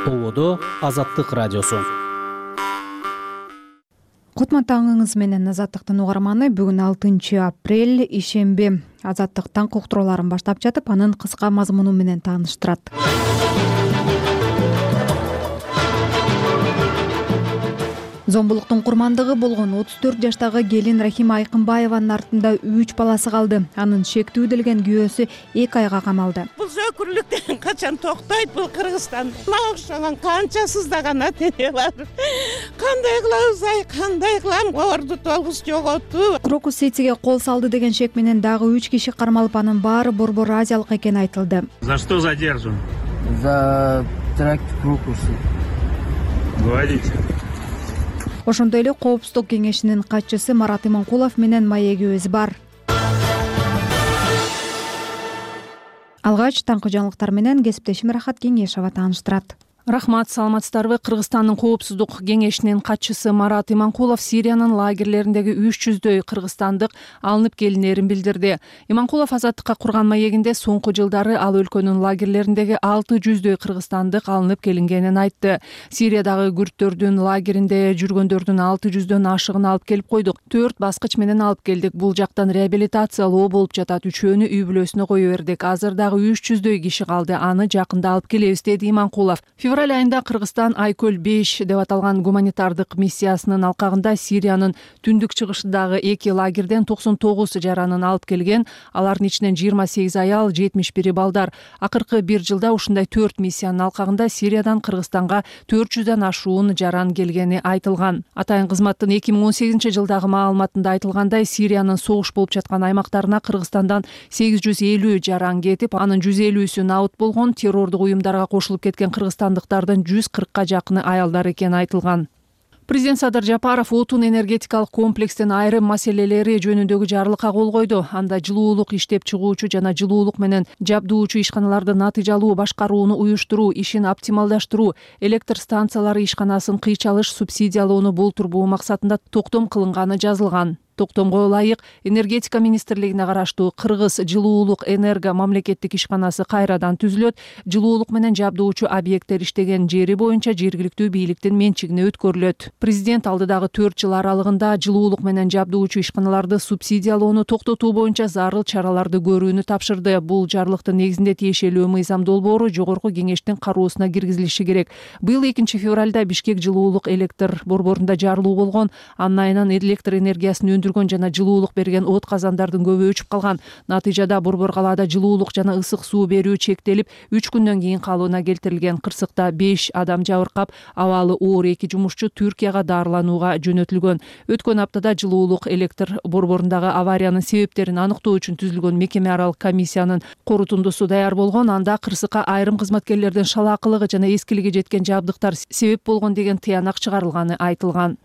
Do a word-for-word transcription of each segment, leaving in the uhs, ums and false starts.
Ободо Азаттык радиосу. Кутман таңыңыз менен Азаттыктын угарманы. Бүгүн алтынчы апрель ишемби. Азаттык таң уктурууларын баштап жатып, анын кыска мазмуну менен тааныштырат. Зомбулуктун курмандыгы болгон отуз төрт жаштагы келин Рахима Айкынбаеванын артында үч баласы калды. Анын шектүүлдөлгөн күйөөсү эки айга камалды. Бул зөкүрлүктөн качан токтойт бул Кыргызстан? Мага окшогон канча сыздаган ата-эне бар. Кандай кылабыз ай, кандай кылам? Орду толгус жоготту. Крокус сейтиге кол салды деген шек менен дагы үч киши кармалып, анын баары борбор азиялык экени айтылды. За что задержан? За теракт Крокуса. Говорите. Ошондой эле Коопсуздук кеңешинин катчысы Марат Иманкулов менен маегибиз бар. Алгач таңкы жаңылыктар менен кесиптешим Рахат Кеңешова тааныштырат. Рахмат, саламатсыздарбы? Кыргызстандын Коопсуздук кеңешинин катчысы Марат Иманкулов Сириянын лагерлериндеги үч жүздөй кыргызстандык алынып келинерин билдирди. Иманкулов Азаттыкка курган маегинде соңку жылдары ал өлкөнүн лагерлериндеги алты жүздөй кыргызстандык алынып келингенин айтты. Сириядагы күрттөрдүн лагеринде жүргөндөрдүн алты жүздөн ашыгын алып келип койдук. Төрт баскыч менен алып келдик. Бул жактан реабилитациялоо болуп жатат. Үчөөнү үй бүлөсүнө кое бердик. Азыр дагы үч жүздөй киши калды. Аны жакында алып келебиз, деди Иманкулов. Февраль айында Кыргызстан Айкөл беш деп аталган гуманитардык миссиясынын алкагында Сириянын түндүк чыгышындагы эки лагерден токсон тогуз жаранын алып келген. Алардын ичинен жыйырма сегиз аял, жетимиш бири балдар. Акыркы бир жылда ушундай төрт миссиянын алкагында Сириядан Кыргызстанга төрт жүздөн ашуун жаран келгени айтылган. Атайын кызматтын эки миң он сегизинчи жылдагы маалыматында айтылгандай, Сириянын согуш болуп жаткан аймактарына Кыргызстандан сегиз жүз элүү жаран кетип, анын жүз элүүсү набыт болгон. Террордук уюмдарга кошулуп кеткен кыргызстандыктардын жүз кыркка жакыны аялдар экени айтылган. Президент Садыр Жапаров отун энергетикалык комплекстин айрым маселелери жөнүндөгү жарлыкка кол койду. Анда жылуулук иштеп чыгуучу жана жылуулук менен жабдуучу ишканаларды натыйжалуу башкарууну уюштуруу, ишин оптималдаштыруу, электр станциялары ишканасын кыйчалыш субсидиялоону болтурбоо максатында токтом кылынганы жазылган. Токтомго ылайык энергетика министрлигине караштуу Кыргыз жылуулук энерго мамлекеттик ишканасы кайрадан түзүлөт. Жылуулук менен жабдуучу объекттер иштеген жери боюнча жергиликтүү бийликтин менчигине өткөрүлөт. Президент алдыдагы төрт жыл аралыгында жылуулук менен жабдуучу ишканаларды субсидиялоону токтотуу боюнча зарыл чараларды көрүүнү тапшырды. Бул жарлыктын негизинде тиешелүү мыйзам долбоору жогорку кеңештин кароосуна киргизилиши керек. Быйыл экинчи февралда Бишкек жылуулук электр борборунда жарылуу болгон. Анын айынан электр энергиясын өндүргөн жана жылуулук берген от казандардын көбү өчүп калган. Натыйжада борбор калаада жылуулук жана ысык суу берүү чектелип, үч күндөн кийин калыбына келтирилген. Кырсыкта беш адам жабыркап, абалы оор эки жумушчу Түркияга дарыланууга жөнөтүлгөн. Өткөн аптада жылуулук электр борборундагы авариянын себептерин аныктоо үчүн түзүлгөн мекеме аралык комиссиянын корутундусу даяр болгон. Анда кырсыкка айрым кызматкерлердин шалаакылыгы жана эскилиги жеткен жабдыктар себеп болгон деген тыянак чыгарылганы айтылган.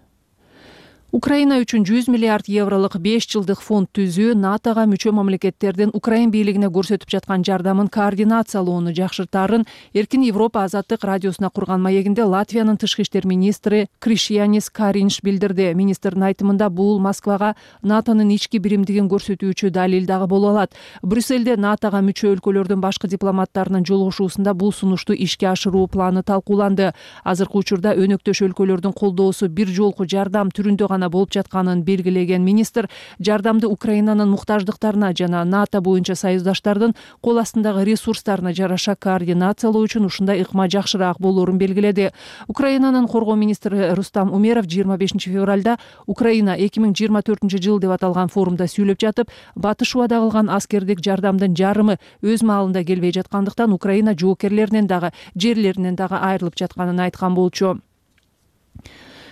Украина үчүн жүз миллиард евролук беш жылдык фонд түзүү натога мүчө мамлекеттердин Украин бийлигине көрсөтүп жаткан жардамын координациялоону жакшыртаарын Эркин Европа Азаттык радиосуна курган маегинде Латвиянын тышкы иштер министри Кришьянис Каринш билдирди. Министрдин айтымында бул Москвага НАТОнун ички биримдигин көрсөтүүчү далил дагы боло алат. Брюссельде НАТОга мүчө өлкөлөрдүн башкы дипломаттарынын жолугушуусунда бул сунушту ишке ашыруу планы талкууланды. Азыркы учурда өнөктөш өлкөлөрдүн колдоосу бир жолку жардам түрүндө болуп жатканын белгилеген министр жардамды Украинанын муктаждыктарына жана НАТО боюнча союздаштардын кол астындагы ресурстарына жараша координациялоо үчүн ушундай ыкма жакшыраак болоорун белгиледи. Украинанын коргоо министри Рустам Умеров жыйырма бешинчи февралда Украина эки миң жыйырма төртүнчү жыл деп аталган форумда сүйлөп жатып, батыш убада кылган аскердик жардамдын жарымы өз маалында келбей жаткандыктан Украина жоокерлеринен дагы жерлеринен дагы айрылып жатканын айткан болчу.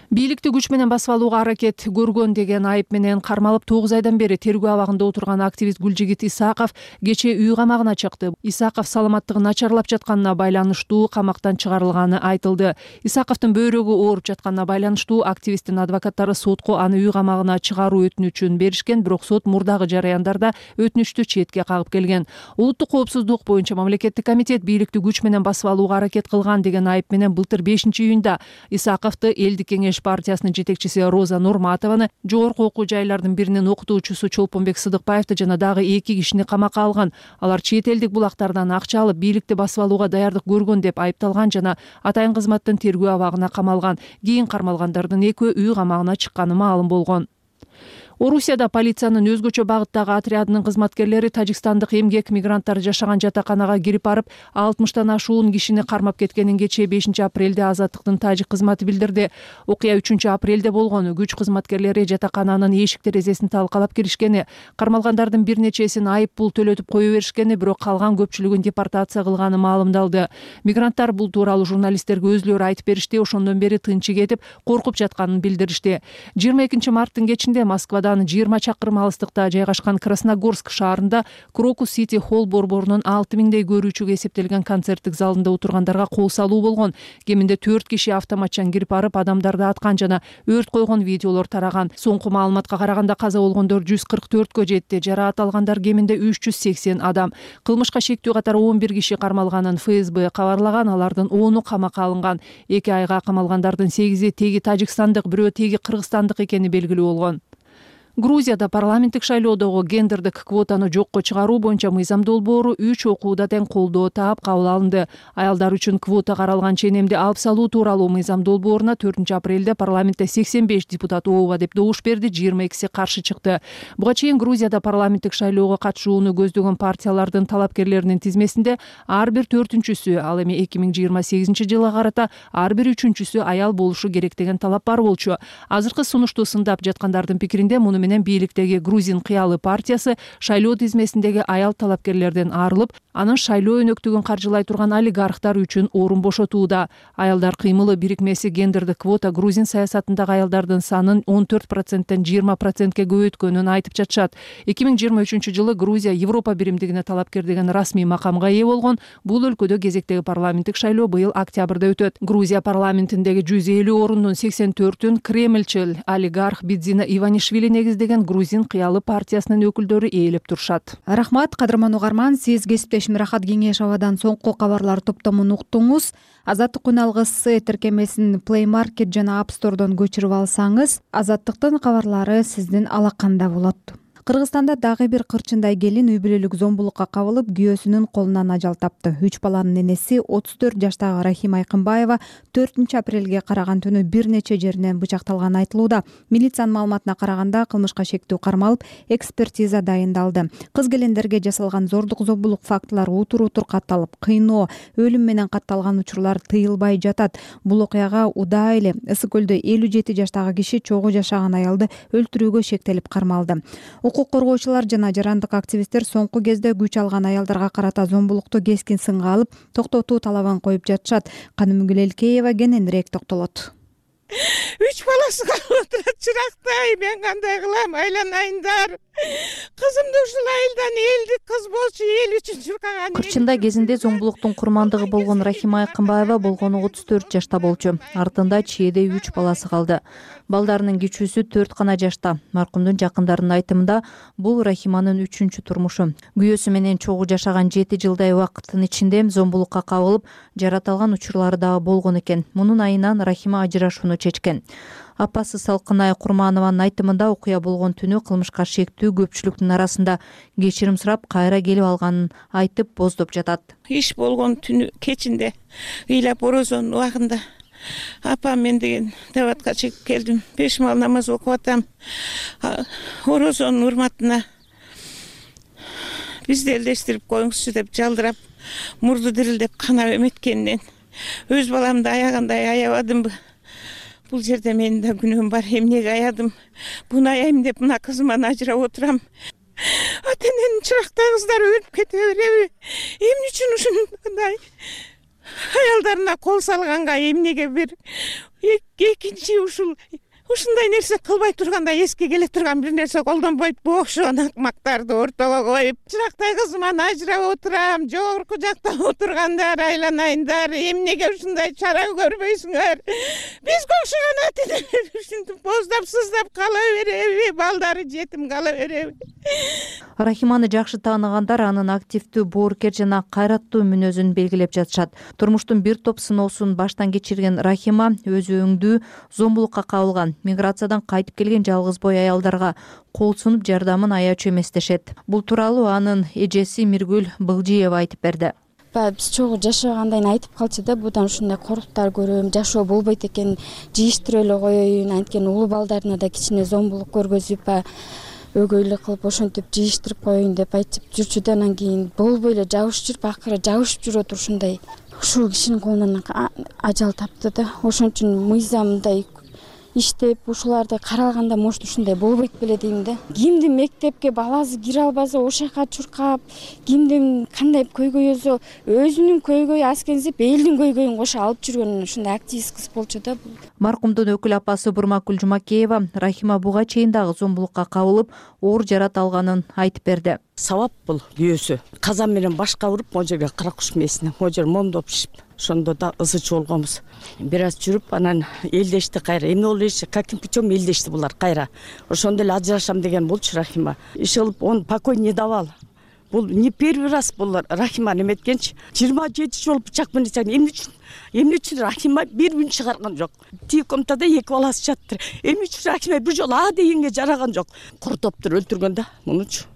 Бийликти күч менен басып алууга аракет көргөн деген айып менен кармалып тогуз айдан бери тергөө абагында отурган активист Гүлжигит Исаков кечээ үй камагына чыкты. Исаков саламаттыгы начарлап жатканына байланыштуу камактан чыгарылганы айтылды. Исаковдун бөйрөгү ооруп жатканына байланыштуу активисттин адвокаттары сотко аны үй камагына чыгаруу өтүнүчүн беришкен, бирок сот мурдагы жараяндарда өтүнүчтү четке кагып келген. Улуттук коопсуздук боюнча мамлекеттик комитет бийликти күч менен басып алууга аракет кылган деген айып менен былтыр бешинчи июнда Исаковду элдик кеңеш кеңеш партиясынын жетекчиси Роза Нурматованы, жогорку окуу жайлардын биринин окутуучусу Чолпонбек Сыдыкбаевди жана дагы эки кишини камакка алган. Алар чет элдик булактардан акча алып, бийликти басып алууга даярдык көргөн деп айыпталган жана атайын кызматтын тергөө абагына камалган. Кийин кармалгандардын экөө үй камагына чыкканы маалым болгон. Орусияда полициянын өзгөчө багыттагы отрядынын кызматкерлери тажикстандык эмгек мигранттар жашаган жатаканага кирип барып, алтымыштан ашуун кишини кармап кеткенин кечээ бешинчи апрелде Азаттыктын тажик кызматы билдирди. Окуя үчүнчү апрелде болгон. Күч кызматкерлери жатакананын эшик терезесин талкалап киришкени, кармалгандардын бир нечесин айып пул төлөтүп кое беришкени, бирок калган көпчүлүгүн депортация кылганы маалымдалды. Мигранттар бул тууралуу журналисттерге өзүлөрү айтып беришти, ошондон бери тынчы кетип, коркуп жатканын билдиришти. жыйырма экинчи марттын кечинде Москвада жыйырма чакырым алыстыкта жайгашкан Красногорск шаарында Крокус Сити Холл борборунун алты миңдей көрүүчүгө эсептелген концерттик залында отургандарга кол салуу болгон. Кеминде төрт киши автоматчан кирип барып, адамдарды аткан жана өрт койгон видеолор тараган. Соңку маалыматка караганда каза болгондор жүз кырк төрткө жетти, жараат алгандар кеминде үч жүз сексен адам. Кылмышка шектүү катары он бир киши кармалганын эф эс бэ кабарлаган, алардын ону камакка алынган. эки айга камалгандардын сегизи теги тажикстандык, бирөө теги кыргызстандык экени белгилүү болгон. Грузияда парламенттик шайлоодогу гендердик квотаны жокко чыгаруу боюнча мыйзам долбоору үч окууда тең колдоо таап кабыл алынды. Аялдар үчүн квота каралган ченемди алып салуу тууралуу мыйзам долбооруна төртүнчү апрелде парламентте сексен беш депутат ооба деп добуш берди, жыйырма экиси каршы чыкты. Буга чейин Грузияда парламенттик шайлоого катышууну көздөгөн партиялардын талапкерлеринин тизмесинде ар бир төртүнчүсү, ал эми эки миң жыйырма сегизинчи жылга карата ар бир үчүнчүсү аял болушу керек деген талап бар болчу. Азыркы сунушту сындап жаткандардын пикиринде муну менен бийликтеги Грузин кыялы партиясы шайлоо тизмесиндеги аял талапкерлерден арылып, анын шайлоо өнөктүгүн каржылай турган олигархтар үчүн орун бошотууда. Аялдар кыймылы бирикмеси гендердик квота Грузин саясатындагы аялдардын санын он төрт проценттен жыйырма процентке көбөйткөнүн айтып жатышат. эки миң жыйырма үчүнчү жылы Грузия Европа биримдигине талапкер деген расмий макамга ээ болгон. Бул өлкөдө кезектеги парламенттик шайлоо быйыл октябрда өтөт. Грузия парламентиндеги жүз элүү орундун сексен төртүн Кремльчил олигарх Бидзина Иванишвили негиздеген Грузин кыялы партиясынын өкүлдөрү ээлеп турушат. Рахмат, кадырман угарман, сиз кесиптешим Рахат Кеңешовадан соңку кабарлар топтомун уктуңуз. Азаттык үн алгысы тиркемесин Play Market жана App Store'дон көчүрүп алсаңыз, Азаттыктын кабарлары сиздин алаканда болот. Кыргызстанда дагы бир кырчындай келин үй бүлөлүк зомбулукка кабылып, күйөөсүнүн колунан ажал тапты. үч баланын энеси отуз төрт жаштагы Рахим Айкынбаева төртүнчү апрелге караган түнү бир нече жеринен бычакталганы айтылууда. Милициянын маалыматына караганда кылмышка шектүү кармалып, экспертиза дайындалды. Кыз келиндерге жасалган зордук зомбулук фактылары утур-утур катталып, кыйноо, өлүм менен катталган учурлар тыйылбай жатат. Бул окуяга Удай эле Ысык көлдө элүү жети жаштагы киши чогуу жашаган аялды өлтүрүүгө шектелип кармалды. Укук коргоочулар жана жарандык активисттер соңку кезде күч алган аялдарга карата зомбулукту кескин сынга алып, токтотуу талабын коюп жатышат. Канымгүл Элкеева кененирээк токтолот. Үч баласы калып отурат, чырактай, мен кандай кылам, айланайындар. Кызымды ушул айылдан элдик кыз болчу, эл үчүн чуркаган. Кырчында кезинде зомбулуктун курмандыгы болгон Рахим Айкынбаева болгону отуз төрт жашта болчу. Артында чээде үч баласы калды. Балдарынын кичүүсү төрт гана жашта. Маркумдун жакындарынын айтымында бул Рахиманын үчүнчү турмушу. Күйөөсү менен чогуу жашаган жети жылдай убакыттын ичинде зомбулукка кабылып, жараталган учурлары дагы болгон экен. Мунун айынан Рахима ажырашууну чечкен. Апасы Салкынай Курманованын айтымында окуя болгон түнү кылмышка шектүү көпчүлүктүн арасында кечирим сурап, кайра келип алганын айтып боздоп жатат. Иш болгон түнү кечинде ыйлап орозонун убагында апам мен деген даватка чыгып келдим. Беш мал намаз окуп атам. Орозонун урматына бизди элдештирип коюңузчу деп жалдырап, мурду дирилдеп канап эметкенинен өз баламды аягандай аябадымбы? Бул жерде менин да күнөөм бар. Эмнеге аядым? Буну аяйм деп мына кызыман ажырап отурам. Ата-эненин чырактай кыздары өлүп кете береби? Эмне үчүн ушундай аялдарына кол салганга эмнеге бир экинчи ушул ушундай нерсе кылбай турганда эске келе турган бир нерсе колдонбойт, бу окшогон акмактарды ортого коюп, чырактай кызыман ажырап отурам, жогорку жакта отургандар айланайындар, эмнеге ушундай чара көрбөйсүңөр, бизге окшогон ата-энелер ушинтип боздап сыздап кала береби, балдары жетим кала береби. Рахиманы жакшы тааныгандар анын активдүү, боорукер жана кайраттуу мүнөзүн белгилеп жатышат. Турмуштун бир топ сыноосун баштан кечирген Рахима өзү өңдүү зомбулукка кабылган, миграциядан кайтып келген жалгыз бой аялдарга кол сунуп жардамын аячу эмес дешет. Бул тууралуу анын эжеси Миргүл Былжиева айтып берди. Биз чогуу жашагандайын айтып калчу да, будан ушундай коруктар көрөм, жашоо болбойт экен, жийиштирип эле коеюн, анткени улуу балдарына да кичине зомбулук көргөзүп, өгөйлүк кылып ошентип жийиштирип коеюн деп айтып жүрчү да, анан кийин болбой эле жабышып жүрүп, акыры жабышып жүрүп отуруп ушундай ушул кишинин колунан ажал тапты да. Ошон үчүн мыйзамдай иштеп, ушуларды каралганда может ушундай болбойт беле дейм да. Кимдин мектепке баласы кире албаса ошол жака чуркап, кимдин кандай көйгөйсө өзүнүн көйгөйү аскенсип, элдин көйгөйүн кошо алып жүргөн ушундай активист кыз болчу да. Маркумдун өкүл апасы Бурмакүл Жумакеева Рахима буга чейин дагы зомбулукка кабылып, оор жарат алганын айтып берди. Сабап бул күйөөсү. Казан менен башка уруп, могу жерге кара куш мээсине, могу жер момдоп пишип, ошондо да ызычы болгонбуз. Бир аз жүрүп, анан элдешти кайра. Эмне болду дешти, каким путем элдешти булар кайра. Ошондо эле ажырашам деген болчу Рахима. Иш кылып, он покой не давал. Бул не первый раз булар Рахима неметкенчи. жыйырма жети жолу бычак менен чак. Эмне үчүн? Эмне үчүн Рахима бир үн чыгарган жок? Тиги комнатада эки баласы жаттыр. Эмне үчүн Рахима бир жолу а дегенге жараган жок? Куртоптур өлтүргөн да мунучу.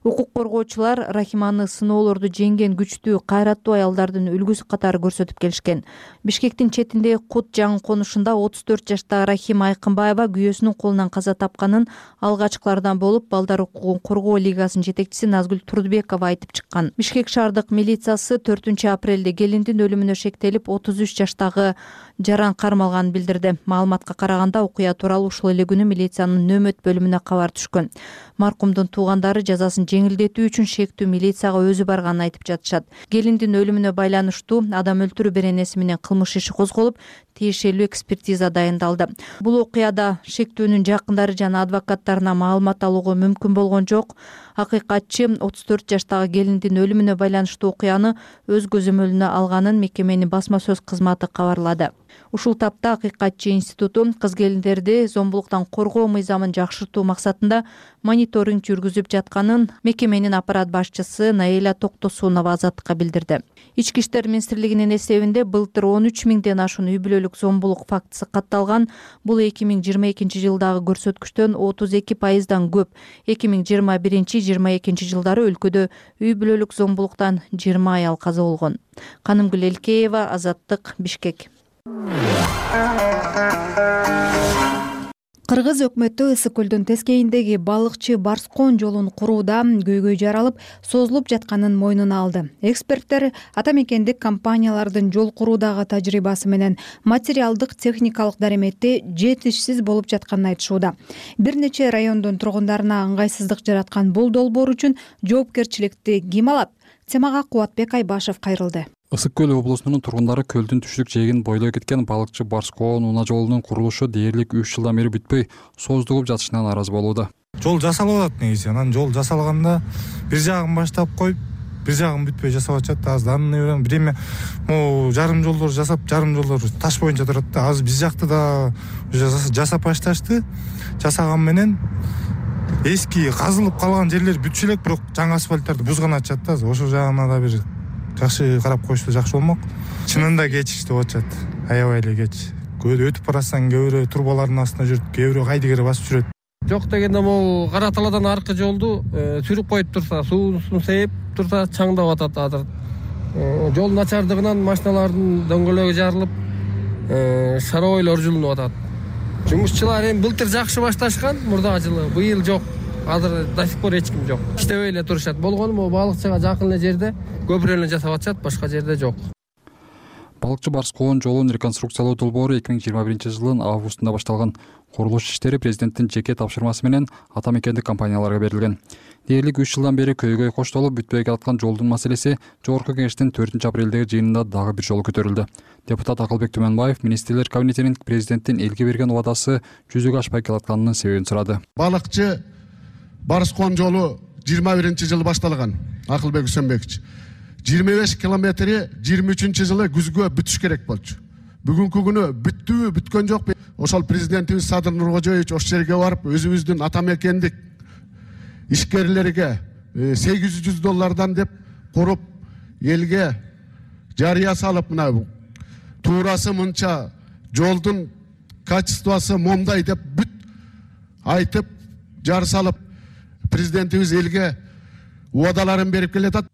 Укук коргоочулар Рахиманы сыноолорду жеңген күчтүү, кайраттуу аялдардын үлгүсү катары көрсөтүп келишкен. Бишкектин четиндеги Кут жаңы конушунда отуз төрт жаштагы Рахима Айкынбаева күйөөсүнүн колунан каза тапканын алгачкылардан болуп, Балдар укугун коргоо лигасынын жетекчиси Назгүл Турдубекова айтып чыккан. Бишкек шаардык милициясы төртүнчү апрелде келиндин өлүмүнө шектелип, отуз үч жаштагы жаран кармалганын билдирди. Маалыматка караганда, окуя тууралуу ушул эле күнү милициянын нөмөт бөлүмүнө кабар түшкөн. Маркумдун туугандары жазасын жеңилдетүү үчүн шектүү милицияга өзү барганын айтып жатышат. Келиндин өлүмүнө байланыштуу адам өлтүрүү беренеси менен кылмыш иши козголуп, тиешелүү экспертиза дайындалды. Бул окуяда шектүүнүн жакындары жана адвокаттарына маалымат алууга мүмкүн болгон жок. Акыйкатчы отуз төрт жаштагы келиндин өлүмүнө байланыштуу окуяны өз көзөмөлүнө алганын мекеменин басма сөз кызматы кабарлады. Ушул тапта Акыйкатчы институту кыз келиндерди зомбулуктан коргоо мыйзамын жакшыртуу максатында мониторинг жүргүзүп жатканын мекеменин аппарат башчысы Наиля Токтосунова Азаттыкка билдирди. Ички иштер министрлигинин эсебинде былтыр он үч миңден ашуун үй бүлөлүк зомбулук фактысы катталган. Бул эки миң жыйырма экинчи жылдагы көрсөткүчтөн отуз эки пайыздан көп. эки миң жыйырма биринчи жыйырма экинчи жылдары өлкөдө үй бүлөлүк зомбулуктан жыйырма аял каза болгон. Канымгүл Элкеева, Азаттык, Бишкек. Кыргыз өкмөтү Ысык көлдүн тескейиндеги балыкчы Барскон жолун курууда көйгөй жаралып, созулуп жатканын мойнуна алды. Эксперттер ата мекендик компаниялардын жол куруудагы тажрыйбасы менен материалдык техникалык дареметти жетишсиз болуп жатканын айтышууда. Бир нече райондун тургундарына ыңгайсыздык жараткан бул долбоор үчүн жоопкерчиликти ким алат? Темага Кубатбек Айбашев кайрылды. Ысык көл облусунун тургундары көлдүн түштүк жээгин бойлой кеткен балыкчы Барскон унаа жолунун курулушу дээрлик үч жылдан бери бүтпөй созулуп жатышынан аразы болууда. Жол жасалып атат негизи. Анан жол жасалганда бир жагын баштап коюп, бир жагын бүтпөй жасап атышат. Аздан эле бир эме могу жарым жолдор жасап, жарым жолдор таш боюнча турат да. Азыр биз жакта да жасап башташты. Жасаган менен эски казылып калган жерлер бүтүшү элек, бирок жаңы асфальттарды бузган атышат да. Ошол жагына да бир жакшы карап коюшса жакшы болмок. Чынында кеч иштеп атышат. Аябай эле кеч. Көдө өтүп барасаң, кээ бирөө турбалардын астына жүрүп, кээ бирөө кайдыгер басып жүрөт. Жок дегенде могу Кара Талаадан аркы жолду сүрүп коюп турса, суусун сейип турса чаңдап атат азыр. Жол начардыгынан машиналардын дөңгөлөгү жарылып, шаройлор жулунуп атат. Жумушчулар эми былтыр жакшы башташкан, мурдагы жылы, быйыл жок. Азыр до сих пор эч ким жок. Иштебей эле турушат. Болгону могу балыкчыга жакын эле жерде көпүрө эле жасап атышат, башка жерде жок. Балыкчы Барс коон жолун реконструкциялоо долбоору эки миң жыйырма биринчи жылдын августунда башталган. Курулуш иштери президенттин жеке тапшырмасы менен ата мекендик компанияларга берилген. Дээрлик үч жылдан бери көйгөй коштолуп бүтпөй жаткан жолдун маселеси Жогорку Кеңештин төртүнчү апрелдеги жыйынында дагы бир жолу көтөрүлдү. Депутат Акылбек Түмөнбаев министрлер кабинетинин президенттин элге берген убадасы жүзөгө ашпай келатканынын себебин сурады. Балыкчы Барс коон жолу жыйырма биринчи жылы башталган. Акылбек Үсөнбекович жыйырма беш километри жыйырма үчүнчү жылы күзгө бүтүш керек болчу. Бүгүнкү күнү бүттүбү, бүткөн жокпу. Ошол президентибиз Садыр Нуркожоевич ошол жерге барып, өзүбүздүн ата мекендик ишкерлерге сегиз жүз доллардан деп куруп, элге жарыя салып, мына туурасы мынча, жолдун качествосы момдай деп бүт айтып, жар салып, президентибиз элге убадаларын берип келатат.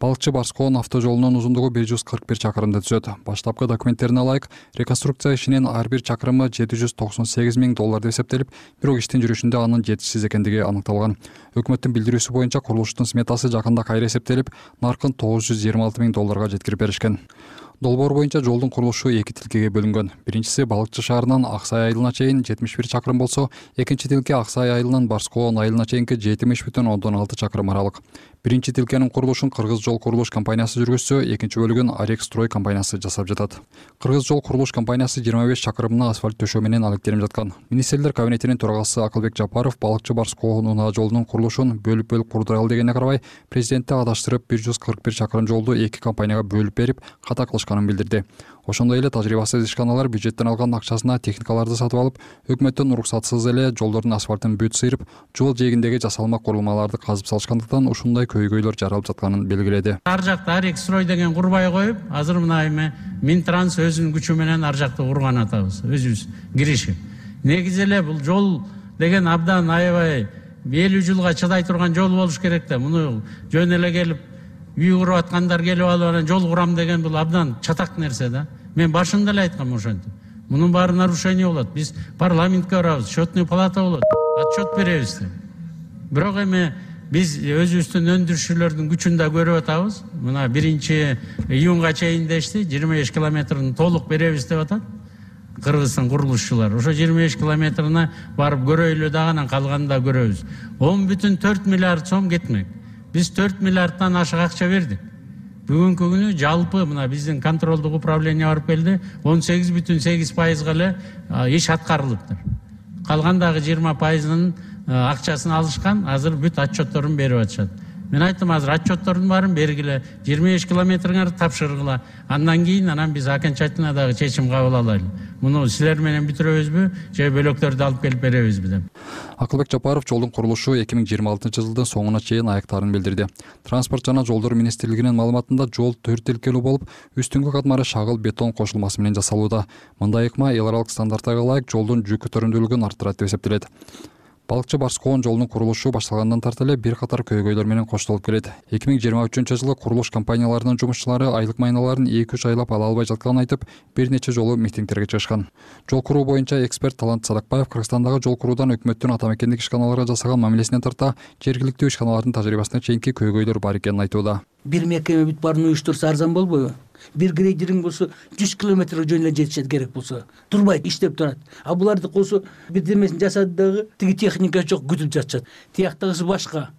Балыкчы Барс коон автожолунун узундугу бир жүз кырк бир чакырымды түзөт. Баштапкы документтерине ылайык, реконструкция ишинин ар бир чакырымы жети жүз токсон сегиз миң доллар деп эсептелип, бирок иштин жүрүшүндө анын жетишсиз экендиги аныкталган. Өкмөттүн билдирүүсү боюнча курулуштун сметасы жакында кайра эсептелип, наркын тогуз жүз жыйырма алты миң долларга жеткирип беришкен. Долбоор боюнча жолдун курулушу эки тилкеге бөлүнгөн. Биринчиси Балыкчы шаарынан Аксай айылына чейин жетимиш бир чакырым болсо, экинчи тилке Аксай айылынан Барс коон айылына чейинки жетимиш бүтүн ондон алты чакырым аралык. Биринчи тилкенин курулушун Кыргыз жол курулуш компаниясы жүргүзсө, экинчи бөлүгүн Арекстрой компаниясы жасап жатат. Кыргыз жол курулуш компаниясы жыйырма беш чакырымына асфальт төшөө менен алектенип жаткан. Министрлер кабинетинин төрагасы Акылбек Жапаров Балыкчы Барс коон унаа жолунун курулушун бөлүп-бөлүп курдуралы дегенине карабай, президентти адаштырып бир жүз кырк бир чакырым жолду эки компанияга бөлүп берип, ката кылышканын билдирди. Ошондой эле тажрыйбасыз ишканалар бюджеттен алган акчасына техникаларды сатып алып, өкмөттөн уруксатсыз эле жолдордун асфальтын бүт сыйрып, жол жээгиндеги жасалма курулмаларды казып салышкандыктан ушундай көйгөйлөр жаралып жатканын белгиледи. Ар жакта Арекстрой деген курбай коюп, азыр мына эме Минтранс өзүнүн күчү менен ар жакта курган атабыз, өзүбүз киришип. Негизи эле бул жол деген абдан аябай элүү жылга чыдай турган жол болуш керек да. Муну жөн эле келип үй куруп аткандар келип алып анан жол курам деген бул абдан чатак нерсе да. Мен башында эле айткам ошентип. Мунун баары нарушение болот. Биз парламентке барабыз, счетный палата болот, отчет беребиз деп. Бирок эми биз өзүбүздүн өндүрүшчүлөрдүн күчүн да көрүп атабыз. Мына биринчи июнга чейин дешти, жыйырма беш километрин толук беребиз деп атат. Кыргызстан курулушчулар. Ошо жыйырма беш километрине барып көрөйлү дагы, анан калганын да көрөбүз. он бүтүн төрт миллиард сом кетмек. Биз төрт миллиардтан ашык акча бердик. Бүгүнкү күнү жалпы мына биздин контролдук управление барып келди, он сегиз бүтүн сегиз пайызга эле иш аткарылыптыр. Калгандагы жыйырма пайызынын акчасын алышкан, азыр бүт отчетторун берип атышат. Мен айттым, азыр отчеттордун баарын бергиле, жыйырма беш километриңерди тапшыргыла. Андан кийин анан биз окончательно дагы чечим кабыл алайлы. Муну силер менен бүтүрөбүзбү, же бөлөктөрдү алып келип беребизби деп. Акылбек Жапаров жолдун курулушу эки миң жыйырма алтынчы жылдын соңуна чейин аяктарын билдирди. Транспорт жана жолдор министрлигинин маалыматында жол төрт тилкелүү болуп, үстүңкү катмары шагыл бетон кошулмасы менен жасалууда. Мындай ыкма эл аралык стандарттарга ылайык жолдун жүк көтөрүмдүүлүгүн арттырат деп эсептелет. Балыкчы Барс коон жолунун курулушу башталгандан тарта эле бир катар көйгөйлөр менен коштолуп келет. эки миң жыйырма үчүнчү жылы курулуш компанияларынын жумушчулары айлык майналарын эки үч айлап ала албай жатканын айтып, бир нече жолу митингтерге чыгышкан. Жол куруу боюнча эксперт Талант Садакбаев Кыргызстандагы жол куруудан өкмөттүн ата мекендик ишканаларга жасаган мамилесинен тарта жергиликтүү ишканалардын тажрыйбасына чейинки көйгөйлөр бар экенин айтууда. Бир мекеме бүт баарын уюштурса арзан болбойбу? Бир грейдеринг болсо жүз километр жөн эле жетишет керек болсо, турбайт, иштеп турат. А буларды болсо бирдемесин жасады дагы, тиги техника жок, күтүп жатышат. Тияктагысы башка.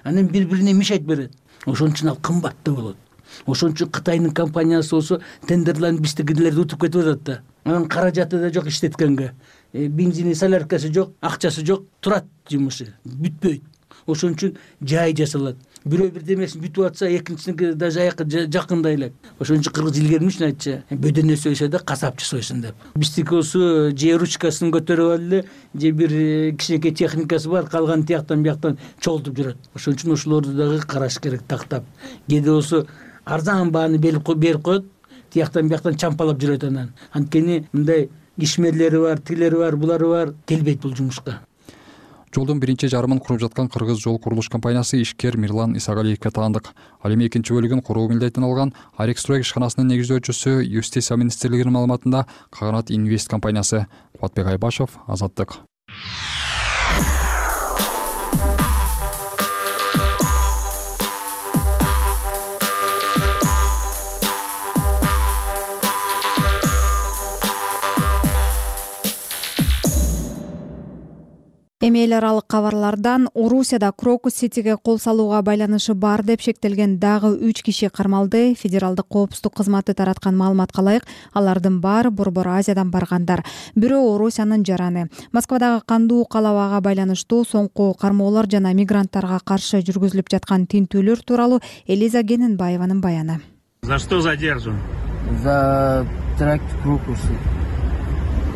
Анан бири-бирине мешайт берет. Ошон үчүн ал кымбат да болот. Ошон үчүн Кытайдын компаниясы болсо тендерлерин биздикилерди утуп кетип атат да. Анан каражаты да жок иштеткенге. Бензини, соляркасы жок, акчасы жок, турат жумушу, бүтпөйт. Ошон үчүн жай жасалат. Бирөө бирдемесин бүтүп атса, экинчисиники да жаякы жакындай элек. Ошон үчүн кыргыз илгермиш айтчы, бөдөнө сойсо да касапчы сойсун деп. Биздики болсо же ручкасын көтөрүп алып эле, же бир кичинекей техникасы бар, калган тияктан бияктан чогултуп жүрөт. Ошон үчүн ошолорду дагы караш керек, тактап. Кээде болсо арзан бааны берип коет, тияктан бияктан чампалап жүрөт анан. Анткени мындай ишмерлери бар, тилери бар, булары бар, келбейт бул жумушка. Жолдун биринчи жарымын куруп жаткан Кыргыз жол курулуш компаниясы ишкер Мирлан Исагалиевге таандык. Ал эми экинчи бөлүгүн куруу милдетин алган Арекстрой ишканасынын негиздөөчүсү Юстиция министрлигинин маалыматында Каганат Инвест компаниясы. Кубатбек Айбашев, Азаттык. Эми эл аралык кабарлардан Орусияда Крокус Ситиге кол салууга байланышы бар деп шектелген дагы үч киши кармалды. Федералдык коопсуздук кызматы тараткан маалыматка ылайык, алардын баары Борбор Азиядан баргандар. Бирөө Орусиянын жараны. Москвадагы кандуу калабага байланыштуу соңку кармоолор жана мигранттарга каршы жүргүзүлүп жаткан тинтүүлөр тууралуу Элиза Гененбаеванын баяны. За что задержан? За теракт в Крокусе.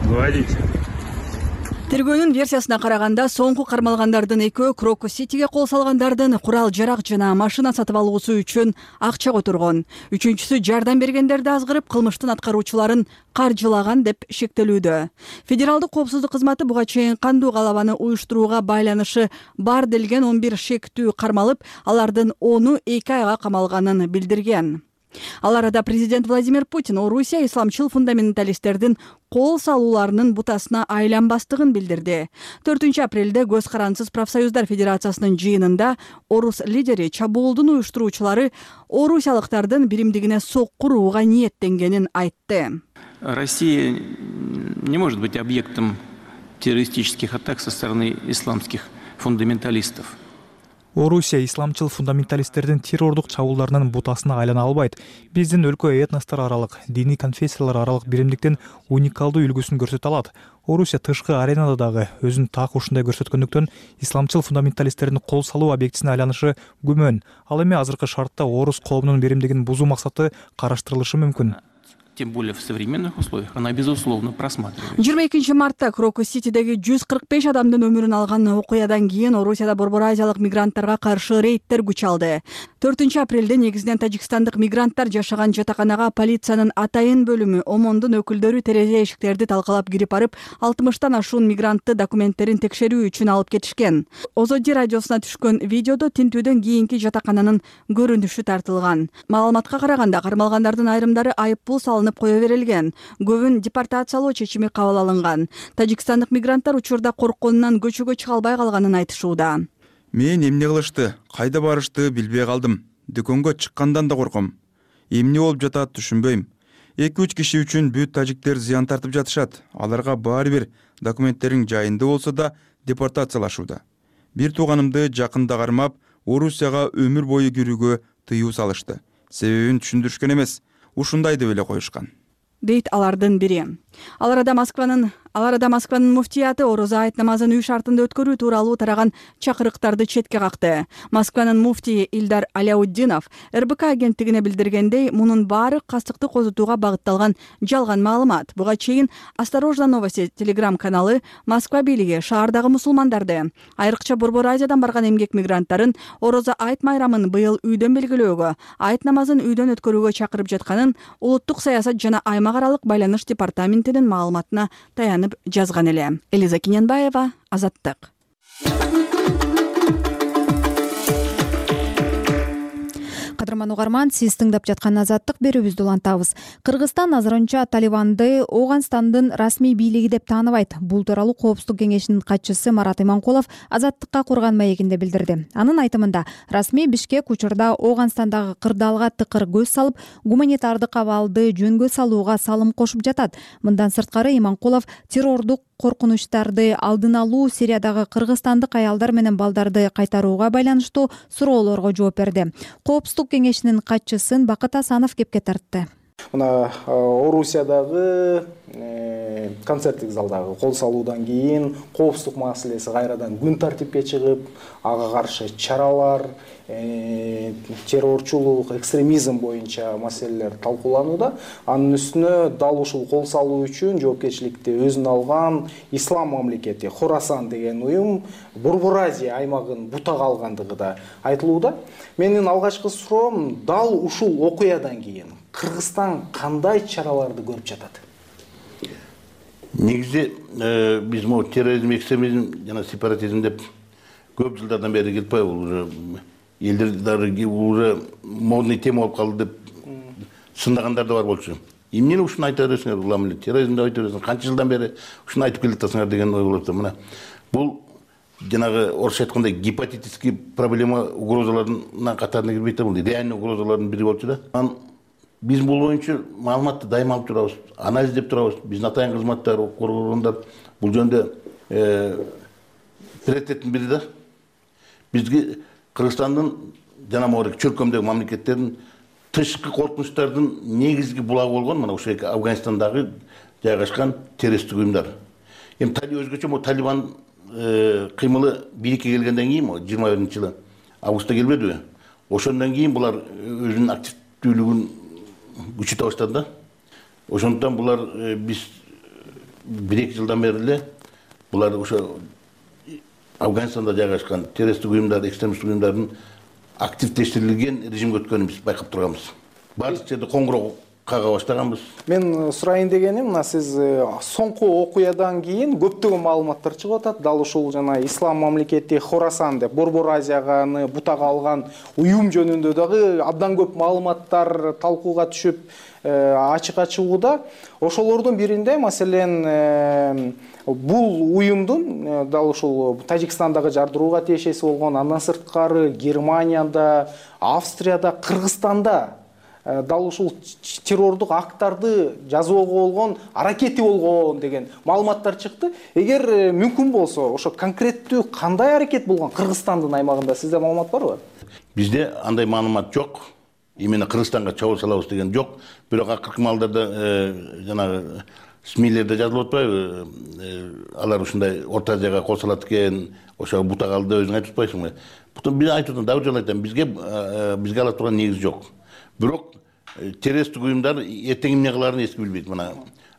Говорите. Тергөөнүн версиясына караганда, соңку кармалгандардын экөө Крокус Ситиге кол салгандардын курал жарак жана машина сатып алуусу үчүн акча которгон. Үчүнчүсү жардам бергендерди азгырып, кылмыштын аткаруучуларын каржылаган деп шектелүүдө. Федералдык коопсуздук кызматы буга чейин кандуу калабаны уюштурууга байланышы бар делген он бир шектүү кармалып, алардын ону эки айга камалганын билдирген. Ал арада президент Владимир Путин Орусия исламчыл фундаменталисттердин кол салууларынын бутасына айланбастыгын билдирди. төртүнчү апрелде Көз карансыз профсоюздар федерациясынын жыйынында орус лидери чабуулдун уюштуруучулары орусиялыктардын биримдигине сокку урууга ниеттенгенин айтты. Россия не может быть объектом террористических атак со стороны исламских фундаменталистов. Орусия исламчыл фундаменталисттердин террордук чабуулдарынын бутасына айлана албайт. Биздин өлкө этностор аралык, диний конфессиялар аралык биримдиктин уникалдуу үлгүсүн көрсөтө алат. Орусия тышкы аренада дагы өзүн так ушундай көрсөткөндүктөн исламчыл фундаменталисттердин кол салуу объектисине айланышы күмөн. Ал эми азыркы шартта орус коомунун биримдигин бузуу максаты караштырылышы мүмкүн. Тем более в современных условиях она безусловно просматривается. жыйырма экинчи мартта Крокус Ситидеги жүз кырк беш адамдын өмүрүн алган окуядан кийин Орусияда Борбор Азиялык мигранттарга каршы рейдтер күч алды. төртүнчү апрелде негизинен тажикстандык мигранттар жашаган жатаканага полициянын атайын бөлүмү омондун өкүлдөрү терезе эшиктерди талкалап кирип барып, алтымыштан ашуун мигрантты документтерин текшерүү үчүн алып кетишкен. Озоди радиосуна түшкөн видеодо тинтүүдөн кийинки жатакананын көрүнүшү тартылган. Маалыматка караганда, кармалгандардын айрымдары айыппул салынып кое берилген. Көбүн депортациялоо чечими кабыл алынган. Тажикстандык мигранттар учурда коркконунан көчөгө чыга албай калганын айтышууда. Мен эмне кылышты, кайда барышты билбей калдым. Дүкөнгө чыккандан да корком. Эмне болуп жатат түшүнбөйм. эки үч киши үчүн бүт тажиктер зыян тартып жатышат. Аларга баары бир документтериң жайында болсо да депортациялашууда. Бир тууганымды жакында кармап, Орусияга өмүр бою кирүүгө тыюу салышты. Себебин түшүндүрүшкөн эмес, ушундай деп эле коюшкан, дейт алардын бири. Ал арада Москванын Ал арада Москванын муфтияты ороза айт намазын үй шартында өткөрүү тууралуу тараган чакырыктарды четке какты. Москванын муфтийи Ильдар Аляутдинов эр бэ ка агенттигине билдиргендей, мунун баары кастыкты козутууга багытталган жалган маалымат. Буга чейин Осторожно новости телеграм каналы Москва бийлиги шаардагы мусулмандарды, айрыкча Борбор Азиядан барган эмгек мигранттарын ороза айт майрамын быйыл үйдөн белгилөөгө, айт намазын үйдөн өткөрүүгө чакырып жатканын улуттук саясат жана аймак аралык байланыш департаментинин маалыматына таянып жазган эле. Элиза Гененбаева, Азаттык. Кадырман угарман, сиз тыңдап жаткан Азаттык берүүбүздү улантабыз. Кыргызстан азырынча Талибанды Ооганстандын расмий бийлиги деп тааныбайт. Бул тууралуу Коопсуздук кеңешинин катчысы Марат Иманкулов Азаттыкка курган маегинде билдирди. Анын айтымында, расмий Бишкек учурда Ооганстандагы кырдаалга тыкыр көз салып, гуманитардык абалды жөнгө салууга салым кошуп жатат. Мындан сырткары Иманкулов террордук коркунучтарды алдын алуу, Сириядагы кыргызстандык аялдар менен балдарды кайтарууга байланыштуу суроолорго жооп берди. Коопсуздук кеңешинин катчысын Бакыт Асанов кепке тартты. Мына Орусиядагы концерттик залдагы кол салуудан кийин коопсуздук маселеси кайрадан күн тартипке чыгып, ага каршы чаралар, террорчулук, экстремизм боюнча маселелер талкууланууда. Анын үстүнө дал ушул кол салуу үчүн жоопкерчиликти өзүнө алган Ислам мамлекети Хорасан деген уюм Борбор Азия аймагын бутага алгандыгы да айтылууда. Менин алгачкы суроом, дал ушул окуядан кийин Кыргызстан кандай чараларды көрүп жатат? Негизи биз могу терроризм, экстремизм жана сепаратизм деп көп жылдардан бери келип атпайбы, уже элдер дагы уже модный тема болуп калды деп сындагандар да бар болчу. Эмнени ушуну айта бересиңер, улам эле терроризмди айта бересиңер, канча жылдан бери ушуну айтып келатасыңар деген ой болуп атат. Мына бул жанагы орусча айткандай гепатитиске проблема угрозаларынын катарына кирбейт да, бул реальный угрозалардын бири болчу да. Биз бул боюнча маалыматты дайыма алып турабыз, анализдеп турабыз. Биздин атайын кызматтар, коргоондар бул жөнүндө приоритеттин бири да бизге Кыргызстандын жана могу чөлкөмдөгү мамлекеттердин тышкы коркунучтардын негизги булагы болгон мына ошол Афганистандагы жайгашкан террористтик уюмдар. Эми өзгөчө могу Талибан кыймылы бийликке келгенден кийин могу жыйырма биринчи жылы августта келбедиби? Ошондон кийин булар өзүнүн активдүүлүгүн күчөтө баштады да. Ошондуктан булар биз бир эки жылдан бери эле булар ошо Афганистанда жайгашкан террористтик уюмдар, экстремисттик уюмдардын активдештирилген режимге өткөнүн биз байкап турганбыз. Баардык жерде коңгуроо кага баштаганбыз. Мен сурайын дегеним, мына сиз соңку окуядан кийин көптөгөн маалыматтар чыгып атат. Дал ушул жана Ислам мамлекети Хорасан деп Борбор Азияны бутага алган уюм жөнүндө дагы абдан көп маалыматтар талкууга түшүп ачык ачууда. Ошолордун биринде маселен бул уюмдун дал ушул Тажикстандагы жардырууга тиешеси болгон, андан сырткары Германияда, Австрияда, Кыргызстанда дал ушул террордук акттарды жазууга болгон аракети болгон деген маалыматтар чыкты. Эгер мүмкүн болсо, ошо конкреттүү кандай аракет болгон Кыргызстандын аймагында сизде маалымат барбы? Бизде андай маалымат жок. Именно Кыргызстанга чабуул салабыз деген жок. Бирок акыркы маалдарда жанагы СМИлерде жазылып атпайбы? Алар ушундай Орто Азияга кол салат экен, ошо бутак алды өзүң айтып атпайсыңбы? Бутун бир айтып атам, дагы жолу айтам, бизге бизге ала турган негиз жок. Бирок террористтик уюмдар эртең эмне кылаарын эч ким билбейт. Мына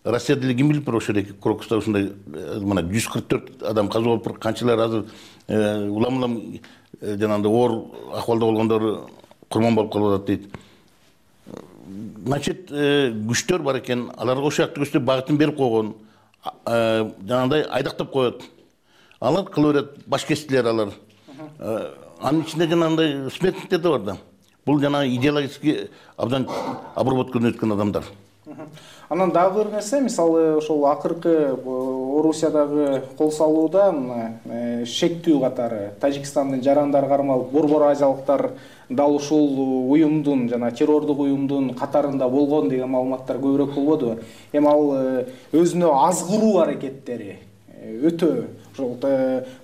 Россияда эле ким билип тур ошол Крокуста ушундай мына жүз кырк төрт адам каза болуп, канчалар азыр улам-улам жанагындай оор акыбалда болгондор курман болуп калып атат дейт. Значит, күчтөр бар экен, аларга ошол жакты күчтөр багытын берип койгон, жанагындай айдактап коет. Алар кыла берет, баш кестилер алар. Анын ичинде жанагындай смертниктер да бар да. Бул жана идеологически абдан обработкадан өткөн адамдар. Анан дагы бир нерсе, мисалы ошол акыркы Орусиядагы кол салуудан шектүү катары Тажикстандын жарандары кармалып, Борбор Азиялыктар дал ушул уюмдун жана террордук уюмдун катарында болгон деген маалыматтар көбүрөөк болбодубу? Эми ал өзүнө азгыруу аракеттери өтө ошол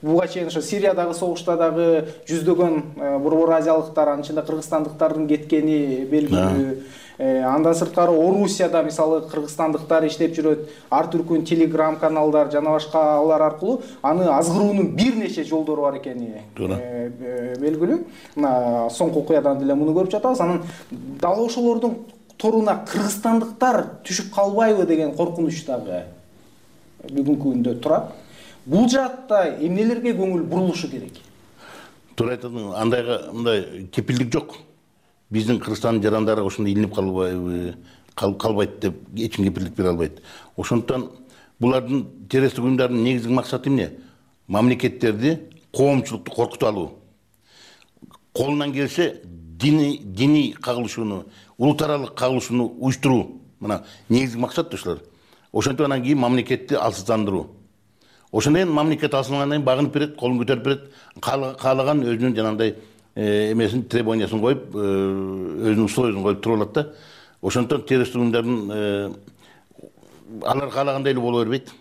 буга чейин ошо Сириядагы согушта дагы жүздөгөн Борбор Азиялыктар, анын ичинде кыргызстандыктардын кеткени белгилүү. Андан сырткары Орусияда мисалы кыргызстандыктар иштеп жүрөт, ар түркүн телеграм каналдар жана башка алар аркылуу аны азгыруунун бир нече жолдору бар экени белгилүү. Мына соңку окуядан деле муну көрүп жатабыз. Анан дал ошолордун торуна кыргызстандыктар түшүп калбайбы деген коркунуч дагы бүгүнкү күндө турат. Бул жаатта эмнелерге көңүл бурулушу керек? Туура айтасың, андайга мындай кепилдик жок. Биздин Кыргызстандын жарандары ошондой илинип калбайбы, калбайт деп эч ким кепилдик бере албайт. Ошондуктан булардын террористтик уюмдардын негизги максаты эмне? Мамлекеттерди, коомчулукту коркутуп алуу. Колунан келсе диний диний кагылышууну, улут аралык кагылышууну уюштуруу. Мына негизги максат ошолор. Ошентип анан кийин мамлекетти алсыздандыруу. Ошондон мамлекет алсынгандан кийин багынып берет, колун көтөрүп берет, каалаган өзүнүн жанагындай эмесин требованиясын коюп, өзүнүн условиясын коюп туруп алат да. Ошондон террористтик уюмдардын алар каалагандай эле боло бербейт.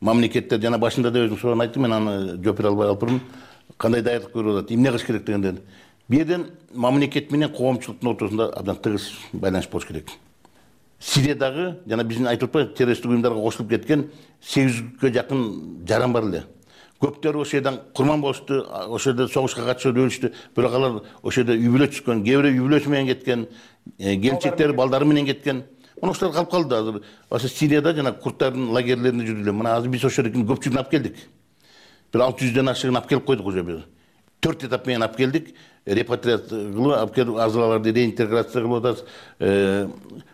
Мамлекеттер жана башында да өзүң суроон айттым, мен аны жооп бере албай калыптырмын. Кандай даярдык көрүп атат, эмне кылыш керек дегенден. Бул жерден мамлекет менен коомчулуктун ортосунда абдан тыгыз байланыш болуш керек. Сириядагы жана биздин айтып атпайбы террористтик уюмдарга кошулуп кеткен сегиз жүзгө жакын жаран бар эле. Көптөрү ошол жерден курман болушту, ошол жерде согушка катышып өлүштү. Бирок алар ошол жерде үй бүлө түшкөн, кээ бирөө үй бүлөсү менен кеткен, келинчектери, балдары менен кеткен. Мына ошолор калып калды азыр. Ошо Сирияда жана курдтардын лагерлеринде жүрдүлөр. Мына азыр биз ошол жердин көпчүлүгүн алып келдик. Бир алты жүздөн ашыгын алып келип койдук уже бир. Төрт этап менен алып келдик. Репатриация кылып, алып келип азылаларды реинтеграция кылып атабыз.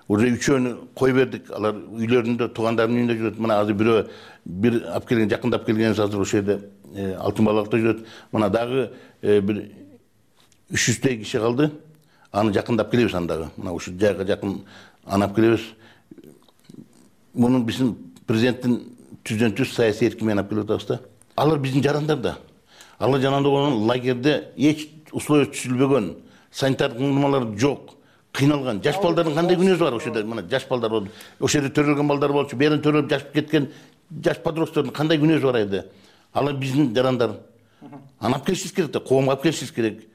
Уже үчөөнү кой бердик. Алар үйлөрүндө, туугандарынын үйүндө жүрөт. Мына азыр бирөө бир алып келген, жакындап келгенибиз азыр ошол жерде Алтын балыкта жүрөт. Мына дагы бир үч жүздөй киши калды. Аны жакындап келебиз андагы. Мына ушул жайга жакын анап келебиз. Муну биздин президенттин түздөн түз саясий эркин менен алып келип атабыз да. Алар биздин жарандар да. Алар жанагындай болгон лагерде эч условия түзүлбөгөн, санитардык нормалар жок, кыйналган. Жаш балдардын кандай күнөөсү бар ошол жерде? Мына жаш балдар болду. Ошол жерде төрөлгөн балдар болчу, берин төрөлүп жашып кеткен жаш подростоктордун кандай күнөөсү бар эле? ал биздин жарандар. Аны алып келишибиз керек да, коомго алып келишибиз керек.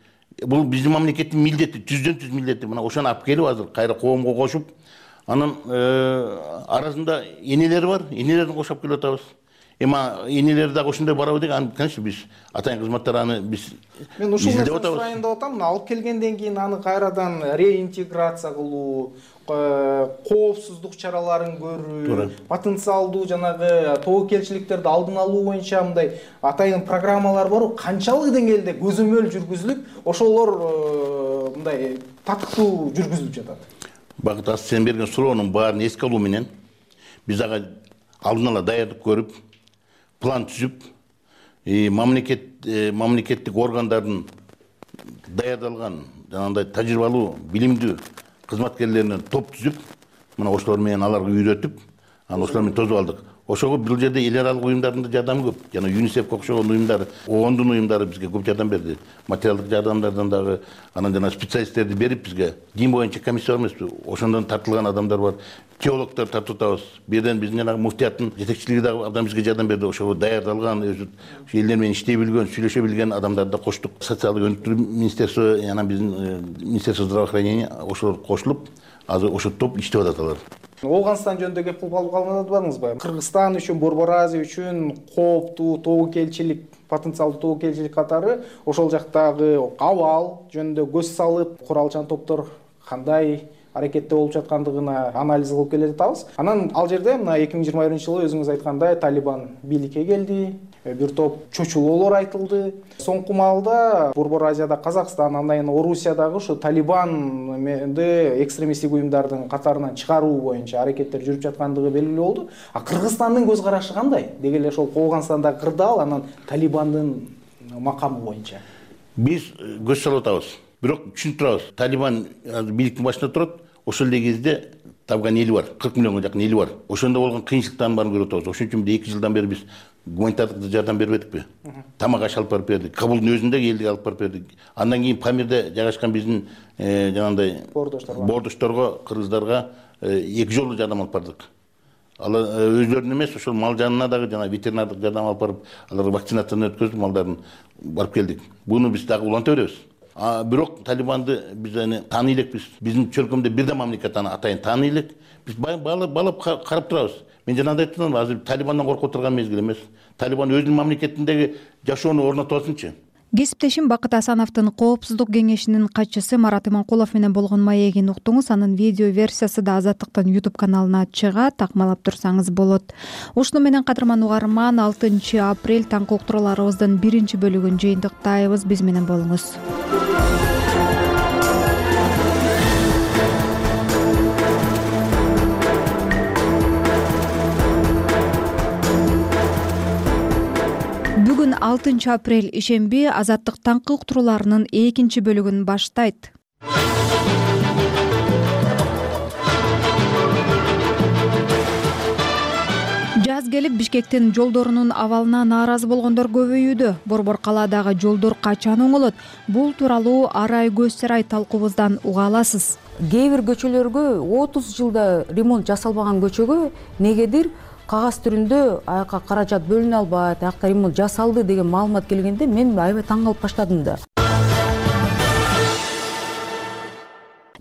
Бул биздин мамлекеттин милдети, жүздөн жүз милдети. Мына ошону алып келип азыр кайра коомго кошуп, анан арасында энелер бар, энелерди кошуп келип атабыз. Эми энелер дагы ошондой барабы деген, конечно, биз атайын кызматтар аны биз мен ушул нерсени сурайын деп атам. Алып келгенден кийин аны кайрадан реинтеграция кылуу, коопсуздук чараларын көрүү, потенциалдуу жанагы тобокелчиликтерди алдын алуу боюнча мындай атайын программалар барбы? Канчалык деңгээлде көзөмөл жүргүзүлүп, ошолор мындай татыктуу жүргүзүлүп жатат? Багыт Ас, сен берген суроонун баарын эске алуу менен биз ага алдын ала даярдык көрүп, план түзүп, мамлекет мамлекеттик органдардын даярдалган жанагындай тажрыйбалуу, билимдүү кызматкерлеринен топ түзүп, мына ошолор менен аларга үйрөтүп, анан ошолор менен тосуп алдык. Ошого бул жерде эл аралык уюмдардын да жардамы көп. Жана ЮНИСЕФ окшогон уюмдар, ООНдун уюмдары бизге көп жардам берди. Материалдык жардамдардан дагы, анан жана специалисттерди берип бизге. Дин боюнча комиссия бар эмеспи? Ошондон тартылган адамдар бар. Теологдор тартып атабыз. Бирден биздин жанагы муфтияттын жетекчилиги дагы абдан бизге жардам берди. Ошого даярдалган, өзү элдер менен иштей билген, сүйлөшө билген адамдарды да коштук. Социалдык өнүктүрүү министерство, анан биздин министерство здравоохранения ошолор кошулуп, азыр ошо топ иштеп атат алар. Оуганстан жөнүндө кеп кылып калганыңызбы? Кыргызстан үчүн, Борбор Азия үчүн кооптуу тобокелчилик, потенциалдуу тобокелчилик катары ошол жактагы абал жөнүндө көз салып, куралчан топтор кандай аракетте болуп жаткандыгына анализ кылып келе жатабыз. Анан ал жерде мына эки миң жыйырма биринчи жылы өзүңүз айткандай Талибан бийликке келди. Бир топ чочулоолор айтылды. Соңку маалда Борбор Азияда Казакстан, андан Орусиядагы ушу Талибанды экстремисттик уюмдардын катарынан чыгаруу боюнча аракеттер жүрүп жаткандыгы белгилүү болду. А Кыргызстандын көз карашы кандай? Деги эле ошол Оуганстандагы кырдаал, анан Талибандын макамы боюнча. Биз көз салып атабыз. Бирок түшүнүп турабыз. Талибан бийликтин башында турат. Ошол эле кезде табган эли бар, кырк миллионго жакын эли бар. Ошондо болгон кыйынчылыктардын баарын көрүп атабыз. Ошон үчүн эки жылдан бери биз гуманитардык жардам бербедикпи? Тамак аш алып барып бердик. Кабулдун өзүндө элдик алып барып бердик. Андан кийин Памирде жайгашкан биздин жанагындай боордошторго, кыргыздарга эки жолу жардам алып бардык. Алар өзлөрүнүн эмес, ошол мал жанына дагы жана ветеринардык жардам алып барып, аларга вакцинацияны өткөзүп, малдарын барып келдик. Буну биз дагы уланта беребиз. А бирок Талибанды биз аны тааный элекпиз. Биздин чөлкөмдө бир да мамлекет аны атайын тааный элек. Биз балап карап турабыз. Мен жанагындай айттым, азыр Талибандан коркуп турган мезгил эмес. Талибан өзүнүн мамлекетиндеги жашоону орнотуп алсынчы. Кесиптешим Бакыт Асановдун Коопсуздук кеңешинин катчысы Марат Иманкулов менен болгон маегин уктуңуз. Анын видео версиясы да Азаттыктын YouTube каналына чыгат, такмалап турсаңыз болот. Ушуну менен кадырман угарман, алтынчы апрель таңкы уктурууларыбыздын биринчи бөлүгүн жыйынтыктайбыз. Биз менен болуңуз. Бүгүн алтынчы апрель ишемби Азаттык таңкы уктурууларынын экинчи бөлүгүн баштайт. Жаз келип Бишкектин жолдорунун абалына нааразы болгондор көбөйүүдө. Борбор калаадагы жолдор качан оңолот? Бул тууралуу арай көз сарай талкуубуздан уга аласыз. Кээ бир көчөлөргө отуз жылда ремонт жасалбаган көчөгө негедир кагаз түрүндө аяка каражат бөлүнө албайт, аякта ремонт жасалды деген маалымат келгенде мен аябай таң калып баштадым да.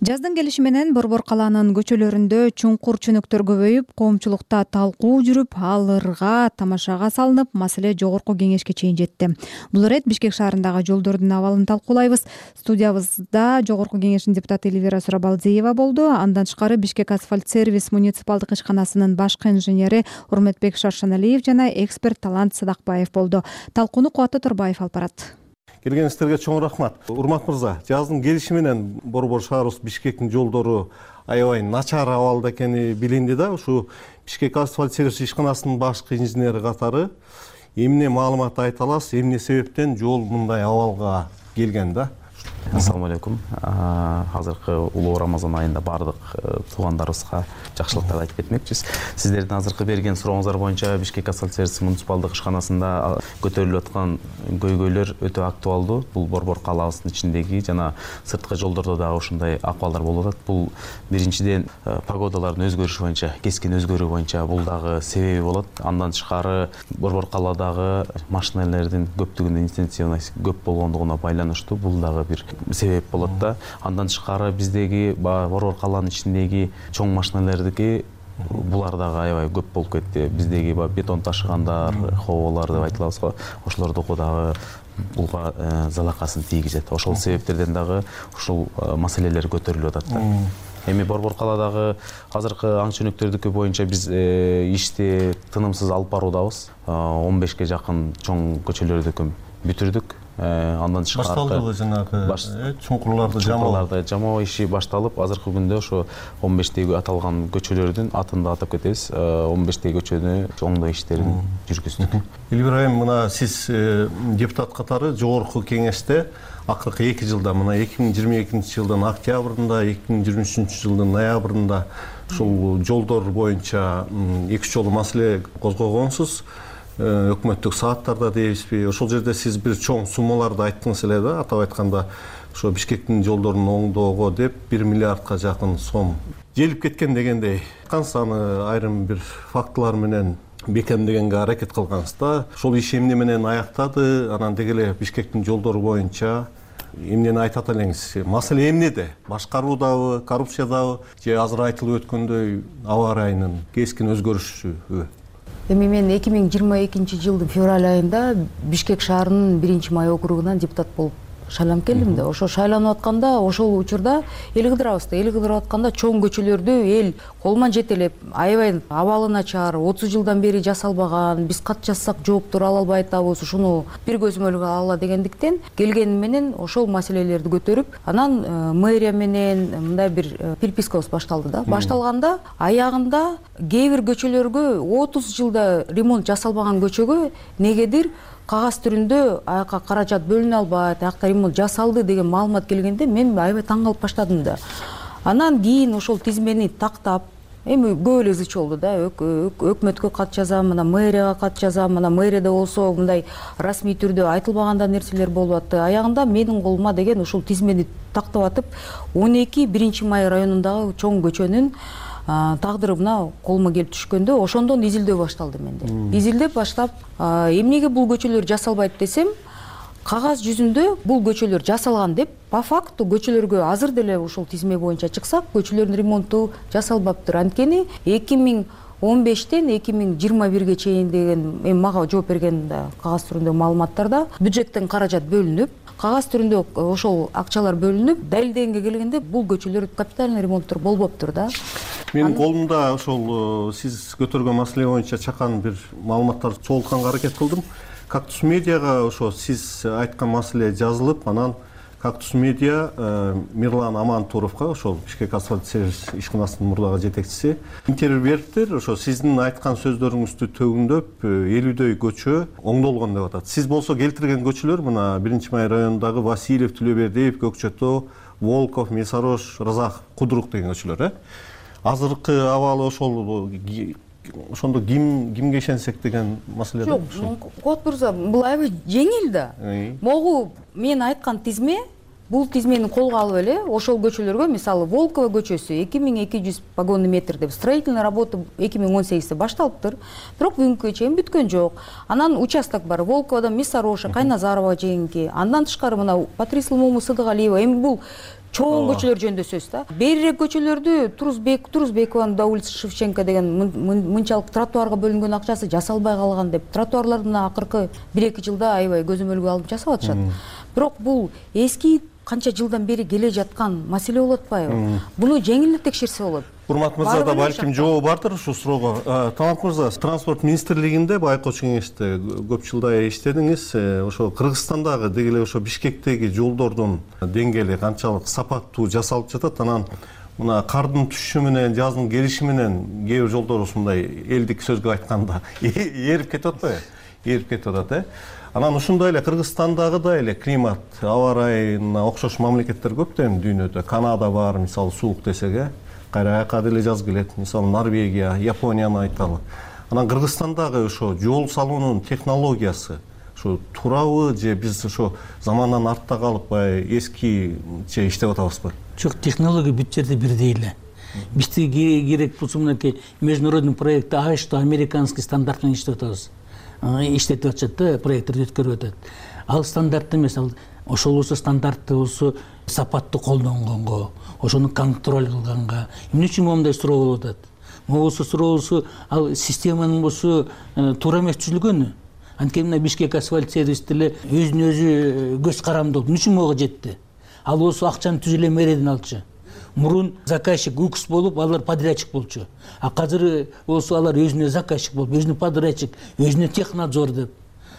Жаздын келиши менен Борбор калаанын көчөлөрүндө чуңкур чөнөктөр көбөйүп, коомчулукта талкуу жүрүп, алырга тамашага салынып, маселе жогорку кеңешке чейин жетти. Бул ирет Бишкек шаарындагы жолдордун абалын талкуулайбыз. Студиябызда жогорку кеңештин депутаты Элвира Сурабалдиева болду. Андан тышкары Бишкек асфальт сервис муниципалдык ишканасынын башкы инженери Урметбек Шаршаналиев жана эксперт Талант Садакбаев болду. Талкууну Кубат Турбаев алып барат. Келгениңизге чоң рахмат. Урмат мырза, жаздын келиши менен Борбор шаарыбыз Бишкектин жолдору аябай начар абалда экени билинди да. Ушу Бишкек асфальт сервис ишканасынын башкы инженери катары эмне маалымат айта аласыз, эмне себептен жол мындай абалга келген да? Ассаламу алейкум. Азыркы улуу Рамазан айында бардык туугандарыбызга жакшылыктарды айтып кетмекчиз. Сиздердин азыркы берген сурооңуздар боюнча Бишкек асфальт сервис муниципалдык ишканасында көтөрүлүп аткан көйгөйлөр өтө актуалдуу. Бул Борбор калаабыздын ичиндеги жана сырткы жолдордо дагы ушундай акыбалдар болуп атат. Бул биринчиден погодалардын өзгөрүшү боюнча, кескин өзгөрүү боюнча бул дагы себеби болот. Андан тышкары Борбор калаадагы машиналардын көптүгүнүн интенсивность көп болгондугуна байланыштуу бул дагы бир себеп болот да. Андан тышкары биздеги Борбор калаанын ичиндеги чоң машиналардыки булар дагы аябай көп болуп кетти. Биздеги бетон ташыгандар, хоболор деп айтылабыз го. Ошолордуку дагы булга залакасын тийгизет. Ошол себептерден дагы ушул маселелер көтөрүлүп атат да. Эми Борбор калаадагы азыркы аң чөнөктөрдүкү боюнча биз ишти тынымсыз алып баруудабыз. он бешке жакын чоң көчөлөрдү бүтүрдүк. Андан тышкары башталдыбы жанагы чуңкурларды жамоо чуңкурларды жамоо иши башталып, азыркы күндө ошо он бештеги аталган көчөлөрдүн атын да атап кетебиз. он бештеги көчөнү оңдоо иштерин жүргүздүк. Элбир айым, мына сиз депутат катары жогорку кеңеште акыркы эки жылда, мына эки миң жыйырма экинчи жылдын октябрында, эки миң жыйырма үчүнчү жылдын ноябрында ушул жолдор боюнча эки үч жолу маселе козгогонсуз. Өкмөттүк сааттарда дейбизби, ошол жерде сиз бир чоң суммаларды айттыңыз эле да, атап айтканда ошо Бишкектин жолдорун оңдоого деп бир миллиардка жакын сом желип кеткен дегендей. Кансаны айрым бир фактылар менен бекемдегенге аракет кылгансыз да. Ошол иш эмне менен аяктады, анан деги эле Бишкектин жолдору боюнча эмнени айтат элеңиз? Маселе эмнеде? Башкаруудабы, коррупциядабы же азыр айтылып өткөндөй аба ырайынын кескин өзгөрүшүбү? Эми мен эки миң жыйырма экинчи жылдын февраль айында Бишкек шаарынын биринчи май округунан депутат болуп шайланып келдим да. Ошо шайланып атканда ошол учурда эл кыдырабыз да, эл кыдырып атканда чоң көчөлөрдү эл колман жетелеп, аябай абалы начар, отуз жылдан бери жасалбаган, биз кат жазсак жооптор ала албай атабыз, ушуну бир көзөмөлгө алалы дегендиктен келгени менен ошол маселелерди көтөрүп, анан мэрия менен мындай бир перепискабыз башталды да. Башталганда аягында кээ бир көчөлөргө отуз жылда ремонт жасалбаган көчөгө негедир кагаз түрүндө аяка каражат бөлүнө албайт, аякта ремонт жасалды деген маалымат келгенде мен аябай таң калып баштадым да. Анан кийин ошол тизмени тактап, эми көп эле ызы болду да. Өкмөткө кат жазам, мына мэрияга кат жазам, мына мэрияда болсо мындай расмий түрдө айтылбаганда нерселер болуп атты. Аягында менин колума деген ушул тизмени тактап атып, он эки биринчи май районундагы чоң көчөнүн тагдыры мына колума келип түшкөндө ошондон изилдөө башталды менде. Изилдеп баштап, эмнеге бул көчөлөр жасалбайт десем, кагаз жүзүндө бул көчөлөр жасалган деп, по факту көчөлөргө азыр деле ушул тизме боюнча чыксак, көчөлөрдүн ремонту жасалбаптыр. Анткени эки миң он бештен эки миң жыйырма бирге чейин деген эми мага жооп берген кагаз түрүндөгү маалыматтарда бюджеттен каражат бөлүнүп, кагаз түрүндө ошол акчалар бөлүнүп, далилдегенге келгенде бул көчөлөр капитальный ремонттор болбоптур да. Менин колумда ошол сиз көтөргөн маселе боюнча чакан бир маалыматтарды чогултканга аракет кылдым. Кактус медиага ошо сиз айткан маселе жазылып, анан Кактус медиа Мирлан Амантуровго, ошол Бишкек асфальт сервис ишканасынын мурдагы жетекчиси, интервью бериптир. Ошо сиздин айткан сөздөрүңүздү төгүндөп элүүдөй көчө оңдолгон деп атат. Сиз болсо келтирген көчөлөр мына биринчи май районундагы Васильев, Түлөбердиев, Көкчөтөө, Волков, Месарош, Разах, Кудурук деген көчөлөр, э? Азыркы абалы ошол ошондо ким кимге ишенсек деген маселе да. Жок, Кот мырза, бул аябай жеңил да. Могу мен айткан тизме, бул тизмени колго алып эле ошол көчөлөргө, мисалы Волкова көчөсү эки миң эки жүз погонный метр деп строительный работа эки миң он сегизде башталыптыр. Бирок бүгүнкүгө чейин бүткөн жок. Анан участок бар, Волковадан Месароша, Кайназарова жейинки, андан тышкары мына Патрисул Муму Сыдыгалиева, эми бул чоң көчөлөр жөнүндө сөз да. Берирээк көчөлөрдү Турузбек, Турузбекованын да улица Шевченко деген мынчалык тротуарга бөлүнгөн акчасы жасалбай калган деп, тротуарларды мына акыркы бир эки жылда аябай көзөмөлгө алып жасап атышат. Бирок бул эски канча жылдан бери келе жаткан маселе болуп атпайбы? Буну жеңилдеп текшерсе болот. Урмат мырза да балким жообу бардыр ушул суроого. Талант мырза, транспорт министрлигинде байкоочу кеңеште көп жылдай иштедиңиз. Ошо Кыргызстандагы деги эле ошо Бишкектеги жолдордун деңгээли канчалык сапаттуу жасалып жатат? Анан мына кардын түшүшү менен, жаздын келиши менен кээ бир жолдор ушундай элдик сөзгө айтканда ээрип кетип атпайбы? эрип кетип атат э анан ушундай эле Кыргызстандагыдай эле климат аба ырайына окшош мамлекеттер көптөн дүйнөдө. Канада бар, мисалы суук десек э кайра аяка деле жаз келет. Мисалы Норвегия, Японияны айталы. Анан Кыргызстандагы ошо жол салуунун технологиясы ошо туурабы же биз ошо замандан артта калып баягы эскиче иштеп атабызбы? Жок, технология бүт жерде бирдей эле. Бизге керек болсо мынакей международный проект АЭ что американский стандарт менен иштеп атабыз. Иштетип атышат да, проекттерди өткөрүп атат. Ал стандарт эмес, ал ошол болсо стандартты болсо сапатты колдонгонго, ошону контроль кылганга. Эмне үчүн моундай суроо болуп атат? Могусу суроо болсо, ал системанын болсо туура эмес түзүлгөнү. Анткени мына Бишкек асфальт сервис деле өзүнө өзү көз каранды болуп, эмне үчүн мага жетти? Ал болсо акчаны түз эле мэрияден алчу. Мурун заказчик УКС болуп, алар подрядчик болчу. А азыр болсо алар өзүнө заказчик болуп, өзүнө подрядчик, өзүнө технадзор деп.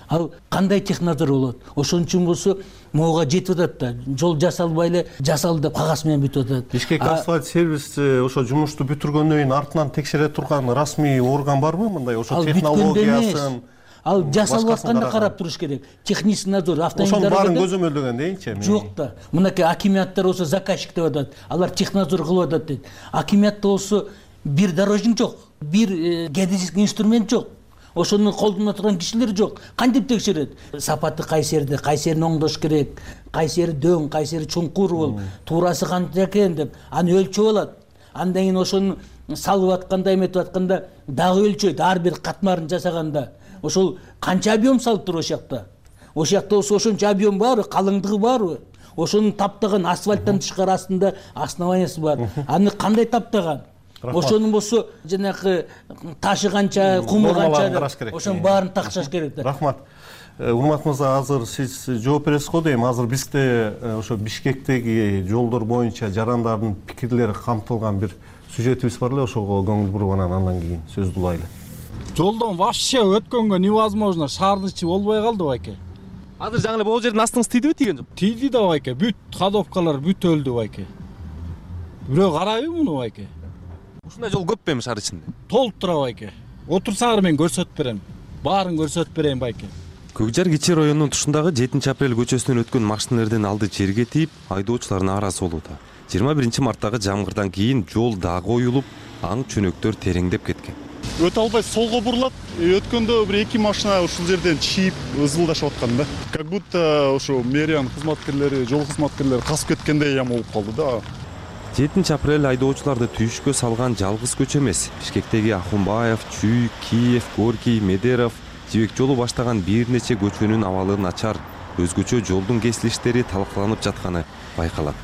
Ал кандай технадзор болот? Ошон үчүн болсо могуга жетип атат да. Жол жасалбай эле жасалды деп кагаз менен бүтүп атат. Бишкек асфальт сервис ошо жумушту бүтүргөндөн кийин артынан текшере турган расмий орган барбы мындай ошо технологиясын? Ал жасалып атканда карап туруш керек. Технический надзор, автомобиль. Ошонун баарын көзөмөлдөгөн дейинчи. Жок да. Мынакей акиматтар болсо заказчик деп атат. Алар технадзор кылып атат дейт. Акиматта болсо бир дорожник жок, бир геодезический инструмент жок. Ошону колдоно турган кишилер жок. Кантип текшерет? Сапаты кайсы жерде, кайсы жерин оңдош керек, кайсы жери дөң, кайсы жери чуңкур болуп, туурасы канча экен деп аны өлчөп алат. Андан кийин ошону салып атканда, эметип атканда дагы өлчөйт, ар бир катмарын жасаганда. Ошол канча объем салып тур ошол жакта. Ошол жакта болсо ошончо объем барбы, калыңдыгы барбы? Ошону таптаган асфальттан тышкары астында основаниясы бар. Аны кандай таптаган? Ошонун болсо жанагы ташы канча, куму канча, ошонун баарын такшаш керек да. Рахмат. Урмат мырза, азыр сиз жооп бересиз го дейм. Азыр бизде ошо Бишкектеги жолдор боюнча жарандардын пикирлери камтылган бир сюжетибиз бар эле, ошого көңүл буруп анан андан кийин сөздү улайлы. Жолдон вообще өткөнгө невозможно, шаардын ичи болбой калды байке. Азыр жаңы эле могу жердин астыңыз тийдиби, тийген жок? Тийди да байке, бүт ходовкалар бүт өлдү байке. Бирөө карайбы муну байке? Ушундай жол көп эми шаар ичинде? Толуп тура байке. Отурсаңар мен көрсөтүп берем. Баарын көрсөтүп берейин байке. Көк жар кичи районунун тушундагы жетинчи апрель көчөсүнөн өткөн машиналардын алды жерге тийип, айдоочулардын нааразы болууда. жыйырма биринчи марттагы жамгырдан кийин жол дагы оюлуп, аң чөнөктөр тереңдеп кеткен. Өтө албай солго бурулат. Өткөндө бир эки машина ушул жерден чийип ызылдашып аткан да. Как будто ошо мэриянын кызматкерлери, жол кызматкерлери касып кеткендей ям болуп калды да. жетинчи апрель айдоочуларды түйүшкө салган жалгыз көчө эмес. Бишкектеги Ахунбаев, Чүй, Киев, Горький, Медеров, Жибек жолу баштаган бир нече көчөнүн абалы начар, өзгөчө жолдун кесилиштери талкаланып жатканы байкалат.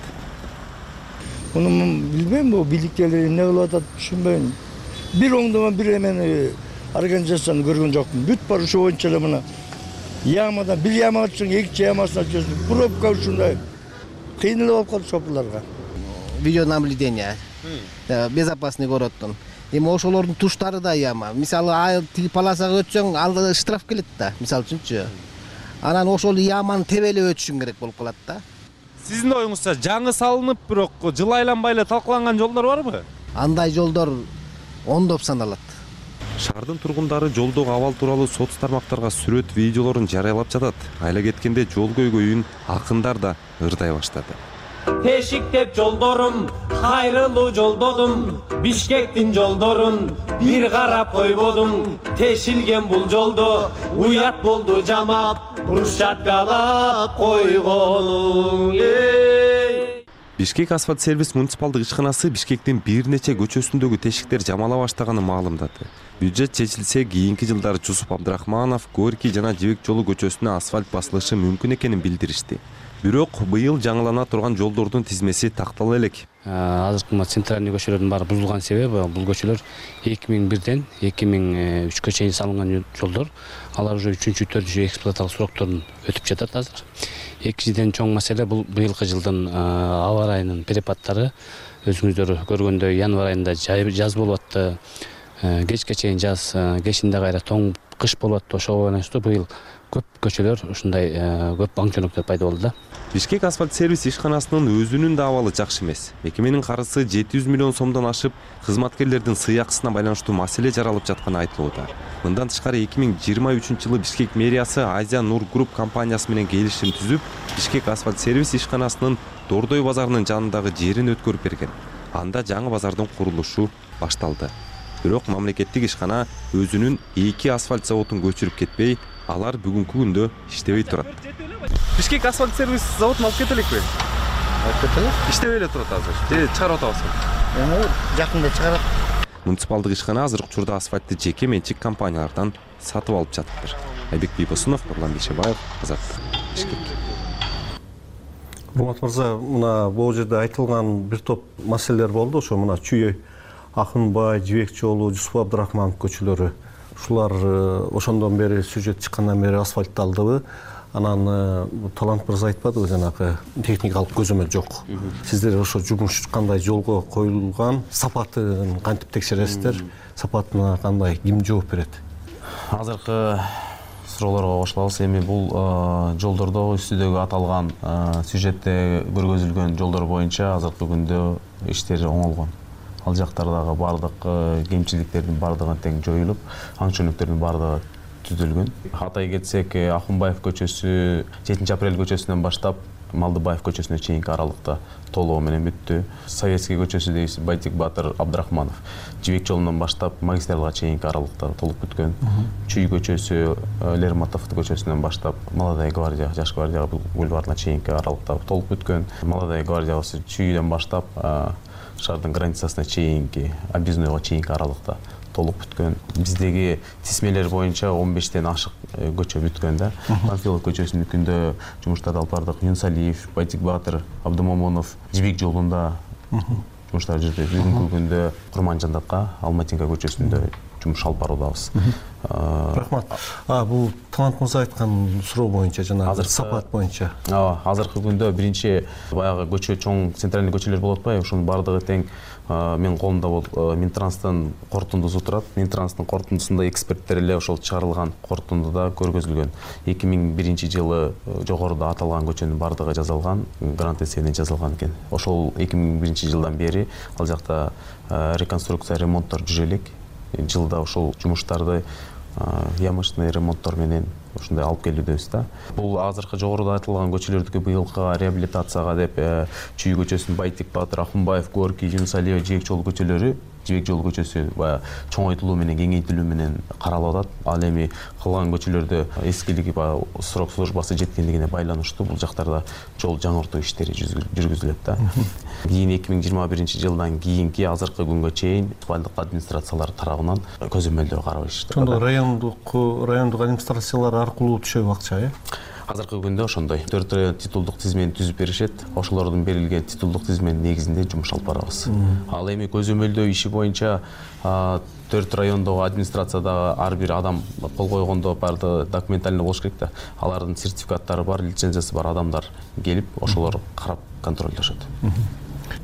Муну билбейм, бу бийликтегилер эмне кылып атат түшүнбөйм. Бир оңдомо бир эмени организацияны көргөн жокмун. Бүт бар ошо боюнча эле мына ямадан бир ямага чыгып, экинчи ямасына чыгып, пробка ушундай кыйынлык болуп калды шоферлорго. Видеонаблюдение, безопасный городтун. Эми ошолордун туштары да яма. Мисалы, тиги полосага өтсөң, алда штраф келет да, мисалы үчүнчү. Анан ошол яманы тебелеп өтүшүң керек болуп калат да. Сиздин оюңузча жаңы салынып, бирок жыл айланбай эле талкаланган жолдор барбы? Андай жолдор ондоп саналат. Шаардын тургундары жолдогу абал тууралуу соц тармактарга сүрөт, видеолорун жарыялап жатат. Айла кеткенде жол көйгөйүн акындар да ырдай баштады. Тешиктеп жолдорум, кайрылуу жолдодум, Бишкектин жолдорун бир карап койбодум. Тешилген бул жолдо уят болду жамап, брусчаткалап койгонуң. Бишкек асфальт сервис муниципалдык ишканасы Бишкектин бир нече көчөсүндөгү тешиктер жамала баштаганын маалымдады. Бюджет чечилсе, кийинки жылдары Жусуп Абдрахманов, Горький жана Жибек жолу көчөсүнө асфальт басылышы мүмкүн экенин билдиришти. Бирок быйыл жаңылана турган жолдордун тизмеси тактала элек. Азыркы центральный көчөлөрдүн баары бузулган себеби бул көчөлөр эки миң бирден эки миң үчкө чейин салынган жолдор. Алар уже үчүнчү, төртүнчү эксплуаталык срокторун өтүп жатат азыр. Экинчиден чоң маселе бул быйылкы жылдын аба ырайынын перепадтары. Өзүңүздөр көргөндөй январь айында жаз болуп атты. Кечке чейин жаз, кечинде кайра тоң кыш болуп атты. Ошого байланыштуу быйыл көп көчөлөр ушундай көп аң чөнөктөр пайда болду да. Бишкек асфальт сервис ишканасынын өзүнүн да абалы жакшы эмес. Мекеменин карызы жети жүз миллион сомдон ашып, кызматкерлердин сыйакысына байланыштуу маселе жаралып жатканы айтылууда. Мындан тышкары эки миң жыйырма үчүнчү жылы Бишкек мэриясы Азия Нур Групп компаниясы менен келишим түзүп, Бишкек асфальт сервис ишканасынын Дордой базарынын жанындагы жерин өткөрүп берген. Анда жаңы базардын курулушу башталды. Бирок мамлекеттик ишкана өзүнүн эки асфальт заводун көчүрүп кетпей, алар бүгүнкү күндө иштебей турат. Бишкек асфальт сервис заводун алып кетеликпи? Алып кетелик. Иштебей эле турат азыр. Же чыгарып атабызбы? Эми жакында чыгарат. Муниципалдык ишкана азыркы учурда асфальтты жеке менчик компаниялардан сатып алып жатыптыр. Айбек Бийбосунов, Нурлан Бейшебаев, Азаттык, Бишкек. Урмат мырза, мына бул жерде айтылган бир топ маселелер болду. Ошо мына Чүй, Акынбай, Жибек жолу, Жусуп Абдрахманов көчөлөрү. Ушулар ошондон бери сюжет чыккандан бери асфальтталдыбы? Анан Талант мырза айтпадыбы, жанагы техникалык көзөмөл жок. Сиздер ошо жумуш кандай жолго коюлган, сапатын кантип текшересиздер? Сапатына кандай, ким жооп берет? Азыркы суроолорго кошулабыз. Эми бул жолдордо үстүдөгү аталган сюжетте көргөзүлгөн жолдор боюнча азыркы күндө иштер оңолгон. Ал жактардагы бардык кемчиликтердин бардыгы тең жоюлуп, аң чөнөктөрдүн бардыгы түзүлгөн. Атай кетсек, Акынбаев көчөсү жетинчи апрель көчөсүнөн баштап Малдыбаев көчөсүнө чейинки аралыкта толугу менен бүттү. Советский көчөсү дейбиз, Байтик Батыр Абдрахманов Жибек жолунан баштап магистралга чейинки аралыкта толуп бүткөн. Чүй көчөсү Лермонтов көчөсүнөн баштап Молодая гвардия, Жаш гвардия бульварына чейинки аралыкта толуп бүткөн. Молодая гвардия Чүйдөн баштап шаардын границасына чейинки, объездныйга чейинки аралыкта толуп бүткөн. Биздеги тизмелер боюнча он бештен ашык көчө бүткөн да. Панфилов көчөсүнүкүндө жумуштарды алып бардык. Юнусалиев, Байтик Батыр, Абдымомонов Жибек жолунда жумуштар жүрдү. Бүгүнкү күндө Курманжандатка, Алматинка көчөсүндө жумуш алып баруудабыз. Рахмат. А бул Талант мырза айткан суроо боюнча жана сапат боюнча. Ооба, азыркы күндө биринчи баягы көчө чоң центральный көчөлөр болуп атпайбы? Ошонун бардыгы тең мен колумда бул Минтранстын корутундусу турат. Минтранстын корутундусунда эксперттер эле ошол чыгарылган корутундуда көргөзүлгөн. эки миң биринчи жылы жогоруда аталган көчөнүн бардыгы жазылган, грант эсебинен жазылган экен. Ошол эки миң биринчи жылдан бери ал жакта реконструкция, ремонттор жүрө элек. Жылда ошол жумуштарды ямочный ремонттор менен ушундай алып келүүдөбүз да. Бул азыркы жогоруда айтылган көчөлөрдүкү быйылкы реабилитацияга деп Чүй көчөсүнүн Байтик Батыр, Акынбаев, Горький, Юнусалиев, Жибек жолу көчөлөрү, Жибек жолу көчөсү баягы чоңойтулуу менен, кеңейтилүү менен каралып атат. Ал эми калган көчөлөрдө эскилиги баягы срок службасы жеткендигине байланыштуу бул жактарда жол жаңыртуу иштери жүргүзүлөт да. Кийин эки миң жыйырма биринчи жылдан кийинки азыркы күнгө чейин бардык администрациялар тарабынан көзөмөлдөр карап иштеп. Ошондо райондук райондук администрациялар аркылуу түшөбү акча, э? Азыркы күндө ошондой. төрт район титулдук тизмени түзүп беришет. Ошолордун берилген титулдук тизменин негизинде жумуш алып барабыз. Ал эми көзөмөлдөө иши боюнча төрт райондогу администрациядагы ар бир адам кол койгондо баардыгы документально болуш керек да. Алардын сертификаттары бар, лицензиясы бар адамдар келип, ошолор карап контролдошот.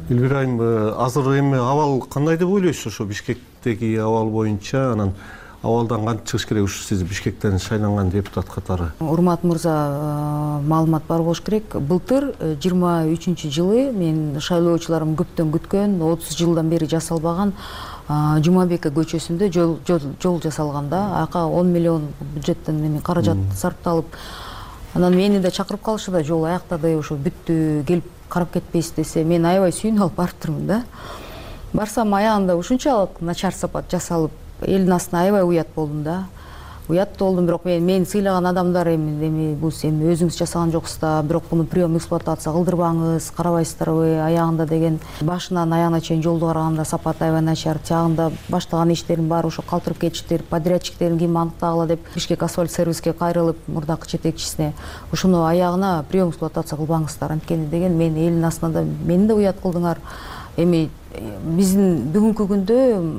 Элвира айым, азыр эми абал кандай деп ойлойсуз ошо Бишкектеги абал боюнча? Анан абалдан кантип чыгыш керек ушу сиз Бишкектен шайланган депутат катары? Урмат мырза, маалымат бар болуш керек. Былтыр жыйырма үчүнчү жылы мен шайлоочуларым көптөн күткөн, отуз жылдан бери жасалбаган Жумабеков көчөсүндө жол жасалганда, ака он миллион бюджеттен эми каражат сарпталып, анан мени да чакырып калышы да, жол аяктады, ошо бүттү, келип карап кетпейсиз десе, мен аябай сүйүнүп алып барыптырмын да. Барсам аягында ушунчалык начар сапат жасалып, элдин астына аябай уят болдум да. Уят болдум, бирок мен мени сыйлаган адамдар эми эми бул эми өзүңүз жасаган жоксуз да, бирок муну прием эксплуатация кылдырбаңыз, карабайсыздарбы аягында деген. Башынан аягына чейин жолду караганда сапат аябай начар, тиягында баштаган иштердин баары ошо калтырып кетиштир, подрядчиктерин ким аныктагыла деп Бишкек асфальт сервиске кайрылып, мурдакы жетекчисине ушуну аягына прием эксплуатация кылбаңыздар анткени деген. Мен элдин астына да мени да уят кылдыңар. Эми биздин бүгүнкү күндө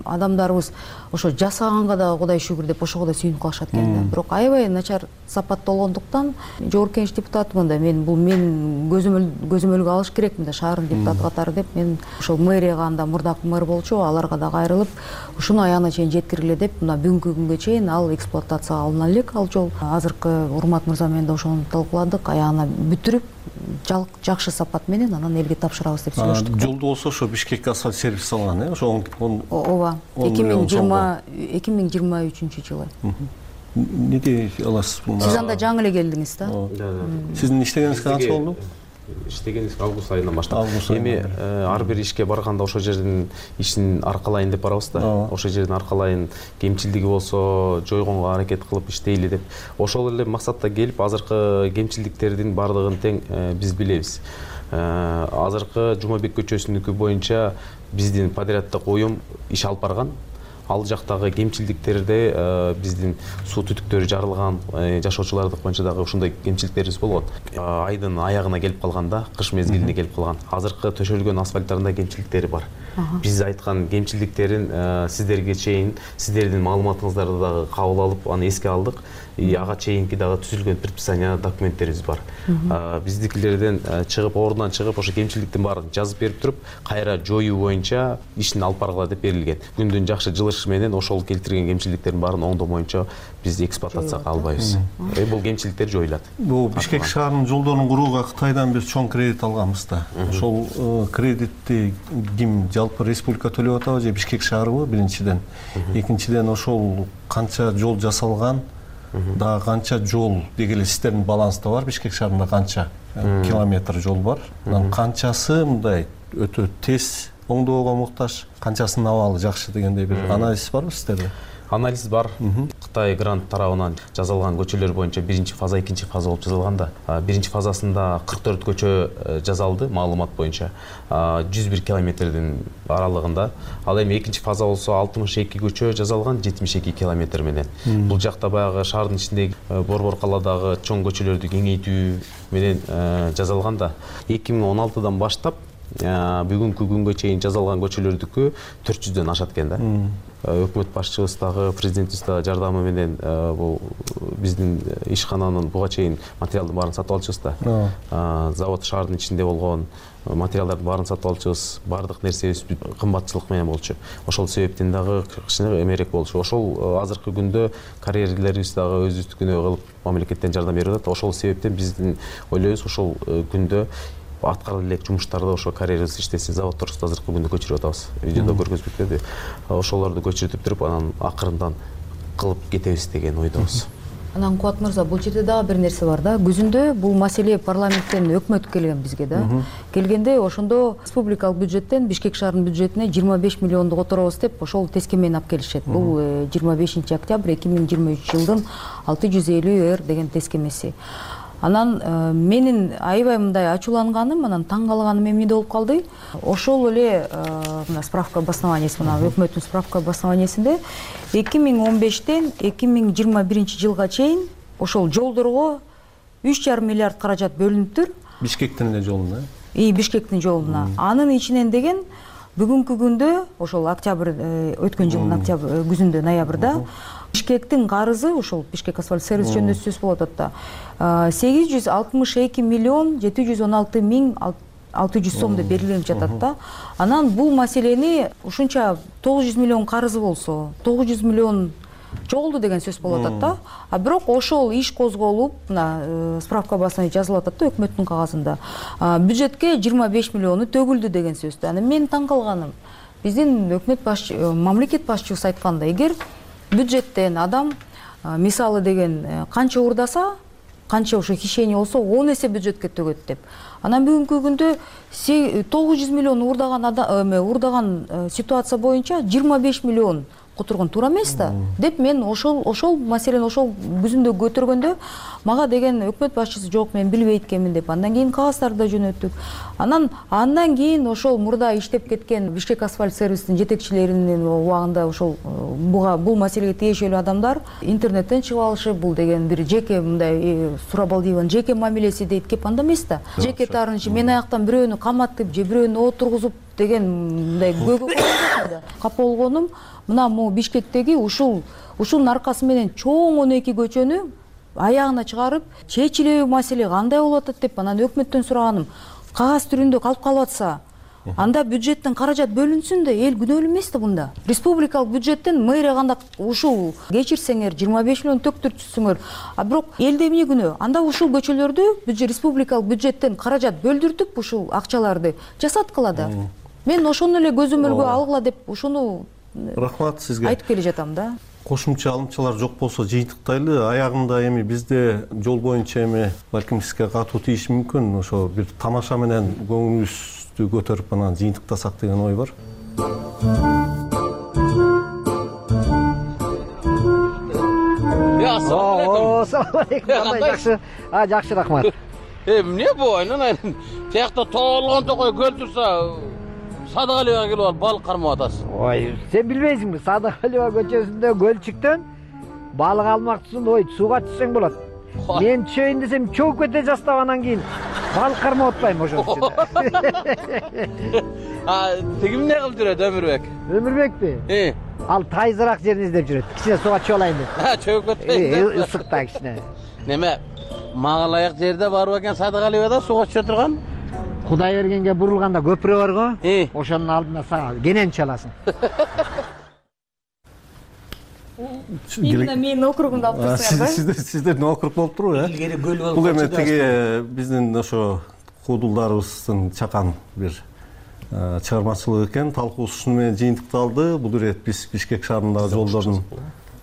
адамдарыбыз ошо жасаганга дагы Кудай шүгүр деп ошого да сүйүнүп калышат экен да. Бирок аябай начар сапатта болгондуктан жогорку кеңеш депутатымын да, мен бул мен көзөмөлгө алыш керекмин да, шаардын депутаты катары деп мен ошол мэрияга анда мурдакы мэр болчу, аларга да кайрылып ушуну аягына чейин жеткиргиле деп мына бүгүнкү күнгө чейин ал эксплуатацияга алына элек ал жол. Азыркы Урмат мырза менен да ошону талкууладык, аягына бүтүрүп жакшы сапат менен анан элге тапшырабыз деп сүйлөштүк. Жолду болсо ошо Бишкек асфальт сервис салган, э? Ошо ооба, эки миң жыйырма үчүнчү жылы. Не дей аласыз? Сиз анда жаңы эле келдиңиз да. Сиздин иштегениңиз канча болду? Иштегенибиз август айынан баштап. Эми ар бир ишке барганда ошол жердин ишин аркалайын деп барабыз да. Ошол жердин аркалайын, кемчилдиги болсо жойгонго аракет кылып иштейли деп. Ошол эле максатта келип, азыркы кемчилдиктердин баардыгын тең биз билебиз. Азыркы Жумабек көчөсүнүкү боюнча биздин подряддык уюм иш алып барган. Ал жактагы кемчилдиктерде биздин суу түтүктөрү жарылган, жашоочулардык боюнча дагы ушундай кемчиликтерибиз болгон. Айдын аягына келип калганда, кыш мезгилине келип калган. Азыркы төшөлгөн асфальттарында кемчиликтери бар. Биз айткан кемчиликтерин сиздерге чейин, сиздердин маалыматыңыздарды дагы кабыл алып, аны эске алдык. Ага чейинки дагы түзүлгөн предписание документтерибиз бар. Биздикилерден чыгып, ордунан чыгып, ошо кемчиликтин баарын жазып берип туруп, кайра жоюу боюнча ишин алып баргыла деп берилген. Күндүн жакшы жылышы менен ошол келтирген кемчиликтердин баарын оңдоо боюнча биз эксплуатацияга албайбыз. Бул кемчиликтер жоюлат. Бул Бишкек шаарынын жолдорун курууга Кытайдан биз чоң кредит алганбыз да. Ошол кредитти ким, жалпы республика төлөп атабы же Бишкек шаарыбы биринчиден? Экинчиден ошол канча жол жасалган? Дагы канча жол деги эле сиздердин баланста бар? Бишкек шаарында канча километр жол бар? Анан канчасы мындай өтө тез оңдоого муктаж, канчасынын абалы жакшы дегендей бир анализ барбы сиздерде? Анализ бар. Кытай грант тарабынан жасалган көчөлөр боюнча биринчи фаза, экинчи фаза болуп жасалган да. Биринчи фазасында кырк төрт көчө жасалды маалымат боюнча. жүз бир километрдин аралыгында. Ал эми экинчи фаза болсо алтымыш эки көчө жасалган жетимиш эки километр менен. Бул жакта баягы шаардын ичиндеги борбор калаадагы чоң көчөлөрдү кеңейтүү менен жасалган да. эки миң он алтыдан баштап бүгүнкү күнгө чейин жасалган көчөлөрдүкү төрт жүздөн ашат экен да. Өкмөт башчыбыз дагы, президентибиз дагы жардамы менен бул биздин ишкананын буга чейин материалдын баарын сатып алчубуз да. Завод шаардын ичинде болгон материалдардын баарын сатып алчубуз. Бардык нерсебиз кымбатчылык менен болчу. Ошол себептен дагы кичине эмерек болчу. Ошол азыркы күндө карьерлерибиз дагы өзүбүздүкүнө кылып мамлекеттен жардам берип атат. Ошол себептен биздин ойлойбуз ошол күндө аткарылып элек жумуштарды ошо карьерибиз иштесин, заводдорубузду азыркы күндө көчүрүп атабыз. Видеодо көргөзүп кетти. Ошолорду көчүрүп туруп, анан акырындан кылып кетебиз деген ойдобуз. Анан Кубат мырза, бул жерде дагы бир нерсе бар да. Күзүндө бул маселе парламенттен өкмөт келген бизге да. Келгенде ошондо республикалык бюджеттен Бишкек шаарынын бюджетине жыйырма беш миллионду которобуз деп ошол тескемени алып келишет. Бул жыйырма бешинчи октябрь эки миң жыйырма үч жылдын алты жүз элүү эр деген тескемеси. Анан менин аябай мындай ачууланганым, анан таң калганым эмне болуп калды? Ошол эле мына справка обоснованиясы, мына өкмөттүн справка обоснованиясында эки миң он бештен эки миң жыйырма биринчи жылга чейин ошол жолдорго үч жарым миллиард каражат бөлүнүптүр. Бишкектин эле жолуна? И Бишкектин жолуна. Анын ичинен деген бүгүнкү күндө ошол октябрь өткөн жылдын октябрь күзүндө ноябрда Бишкектин карызы ошол Бишкек асфальт сервис жөнүндө сөз болуп атат да. сегиз жүз алтымыш эки миллион жети жүз он алты миң алты жүз сом деп берилип жатат да. Анан бул маселени ушунча тогуз жүз миллион карызы болсо, тогуз жүз миллион жолду деген сөз болуп атат да. А бирок ошол иш козголуп, мына справка басына жазылып атат да өкмөттүн кагазында. Бюджетке жыйырма беш миллиону төгүлдү деген сөз. Анан мен таң калганым, биздин өкмөт баш мамлекет башчыбыз айткандай, эгер бюджеттен адам мисалы деген канча урдаса, канча ошо хищение болсо он эсе бюджетке төгөт деп. Анан бүгүнкү күндө тогуз жүз миллион урдаган урдаган ситуация боюнча жыйырма беш миллион которгон туура эмес да деп мен ошол ошол маселени ошол күзүндө көтөргөндө мага деген өкмөт башчысы жок мен билбейт экенмин деп андан кийин кагаздарды да жөнөттүк. Анан андан кийин ошол мурда иштеп кеткен Бишкек асфальт сервистин жетекчилеринин убагында ошол буга бул маселеге тиешелүү адамдар интернеттен чыгып алышып, бул деген бир жеке мындай Сурабалдиеванын жеке мамилеси дейт, кеп анда эмес да. Жеке таарынчы мен аяктан бирөөнү каматып же бирөөнү отургузуп деген мындай көйгөй да. Капа болгонум мына могу Бишкектеги ушул ушунун аркасы менен чоң он эки көчөнү аягына чыгарып чечилеби маселе кандай болуп атат деп анан өкмөттөн сураганым. Кагаз түрүндө калып калып атса, анда бюджеттен каражат бөлүнсүн да, эл күнөөлүү эмес да бунда. Республикалык бюджеттен мэрия кандай ушул кечирсеңер жыйырма беш миллион төктүрсүңөр, а бирок элде эмне күнөө? Анда ушул көчөлөрдү республикалык бюджеттен каражат бөлдүртүп ушул акчаларды жасаткыла да. Мен ошону эле көзөмөлгө алгыла деп ошону рахмат сизге айтып келе жатам да. Кошумча алымчалар жок болсо жыйынтыктайлы. Аягында эми бизде жол боюнча эми балким сизге катуу тийиши мүмкүн. Ошо бир тамаша менен көңүлүбүздү көтөрүп анан жыйынтыктасак деген ой бар. Assalamu alaikum. Кандай жакшы? А, жакшы, рахмат. Э, эмне бу? Айнан тиякта тоолгон токой көл турса, Садыгалиева келип алып балык кармап атасыз. Ой, сен билбейсиңби? Садыгалиева көчөсүндө көл чыктын. Балык алмакчысың, ой, сууга түшсөң болот. Мен чөйүн десем чогуп кете жастап анан кийин балык кармап атпайм ошонун ичинде. А, тиги эмне кылып жүрөт Өмүрбек? Өмүрбекпи? Э. Ал тайзыраак жерин издеп жүрөт. Кичине сууга чөп алайын деп. А, чөгүп кетпейсиң. Ысык да кичине. Неме? Мага ылайык жерде барбы экен Садыгалиевада сууга түшө турган? Кудай бергенге бурулганда көпүрө бар го. Ошонун алдына сага кенен чаласың. Именно менин округумду алып турсуңар да? Сиздердин округ болуп турбу, э? Илгери көл болуп. Бул эми тиги биздин ошо куудулдарыбыздын чакан бир чыгармачылыгы экен. Талкуубуз ушуну менен жыйынтыкталды. Бул ирет биз Бишкек шаарындагы жолдордун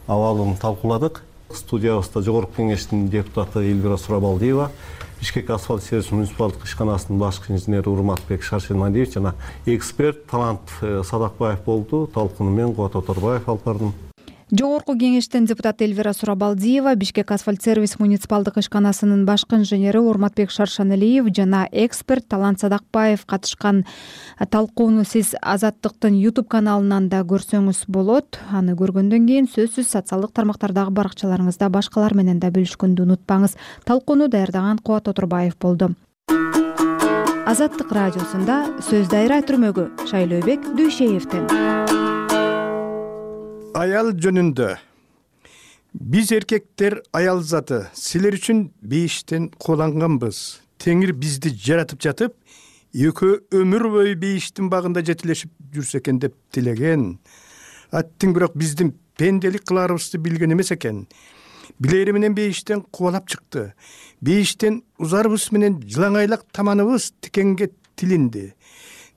абалын талкууладык. Студиябызда жогорку кеңештин депутаты Элвира Сурабалдиева, Бишкек асфальт сервис муниципалдык ишканасынын башкы инженери Урматбек Шаршенмалиевич жана эксперт Талант Садакбаев болду. Талкууну мен Кубат Оторбаев алып бардым. Жогорку кеңештин депутаты Элвира Сурабалдиева, Бишкек асфальт сервис муниципалдык ишканасынын башкы инженери Урматбек Шаршеналиев жана эксперт Талант Садакбаев катышкан талкууну сиз Азаттыктын YouTube каналынан да көрсөңүз болот. Аны көргөндөн кийин сөзсүз социалдык тармактардагы баракчаларыңызда башкалар менен да бөлүшкөндү унутпаңыз. Талкууну даярдаган Кубат Оторбаев болду. Азаттык радиосунда сөз дайра түрмөгү Шайлообек Дүйшеевден. Аял жөнүндө. Биз эркектер аял заты, силер үчүн бейиштен кууланганбыз. Теңир бизди жаратып жатып, экөө өмүр бою бейиштин багында жетилешип жүрсө экен деп тилеген. Аттың бирок биздин пенделик кылаарыбызды билген эмес экен. Билери менен бейиштен кубалап чыкты. Бейиштен узарыбыз менен жылаңайлак таманыбыз тикенге тилинди.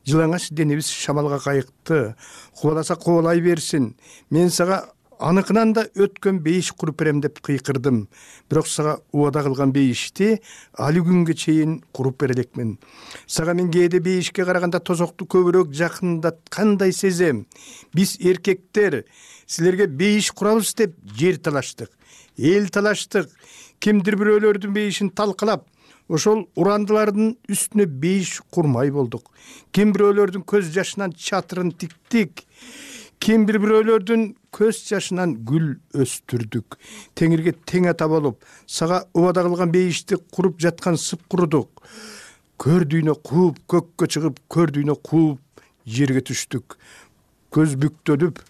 Жылаңач денебиз шамалга кайыкты. Кубаласа кубалай берсин. Мен сага аныкынан да өткөн бейиш куруп берем деп кыйкырдым. Бирок сага убада кылган бейишти али күнгө чейин куруп бере элекмин. Сага мен кээде бейишке караганда тозокту көбүрөөк жакындаткандай сезем. Биз эркектер силерге бейиш курабыз деп жер талаштык, эл талаштык. Кимдир бирөөлөрдүн бейишин талкалап, ошол урандылардын үстүнө бейиш курмай болдук. Ким бирөөлөрдүн көз жашынан чатырын тиктик. Ким бир бирөөлөрдүн көз жашынан гүл өстүрдүк. Теңирге тең ата болуп, сага убада кылган бейишти куруп жаткан сып курудук. Көрдүйнө кууп, көккө чыгып, көрдүйнө кууп, жерге түштүк. Көз бүктөлүп,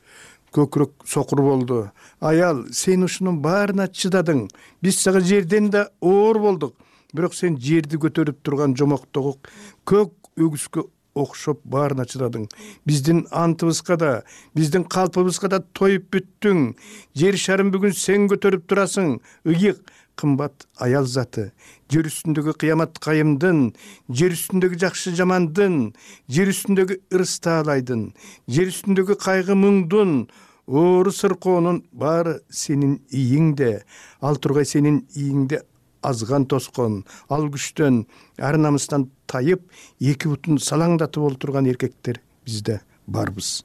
көкүрөк сокур болду. Аял, сен ушунун баарына чыдадың. Биз сага жерден да оор болдук. Бирок сен жерди көтөрүп турган жомоктогу көк өгүскө окшоп баарына чыдадың. Биздин антыбызга да, биздин калпыбызга да тоюп бүттүң. Жер шарын бүгүн сен көтөрүп турасың. Ыйык, кымбат аял заты. Жер үстүндөгү кыямат кайымдын, жер үстүндөгү жакшы жамандын, жер үстүндөгү ырыс таалайдын, жер үстүндөгү кайгы муңдун, оору сыркоонун баары сенин ийиңде. Ал тургай сенин ийиңде азган тоскон, ал күчтөн, ар намыстан тайып, эки бутун салаңдатып олтурган эркектер бизде барбыз.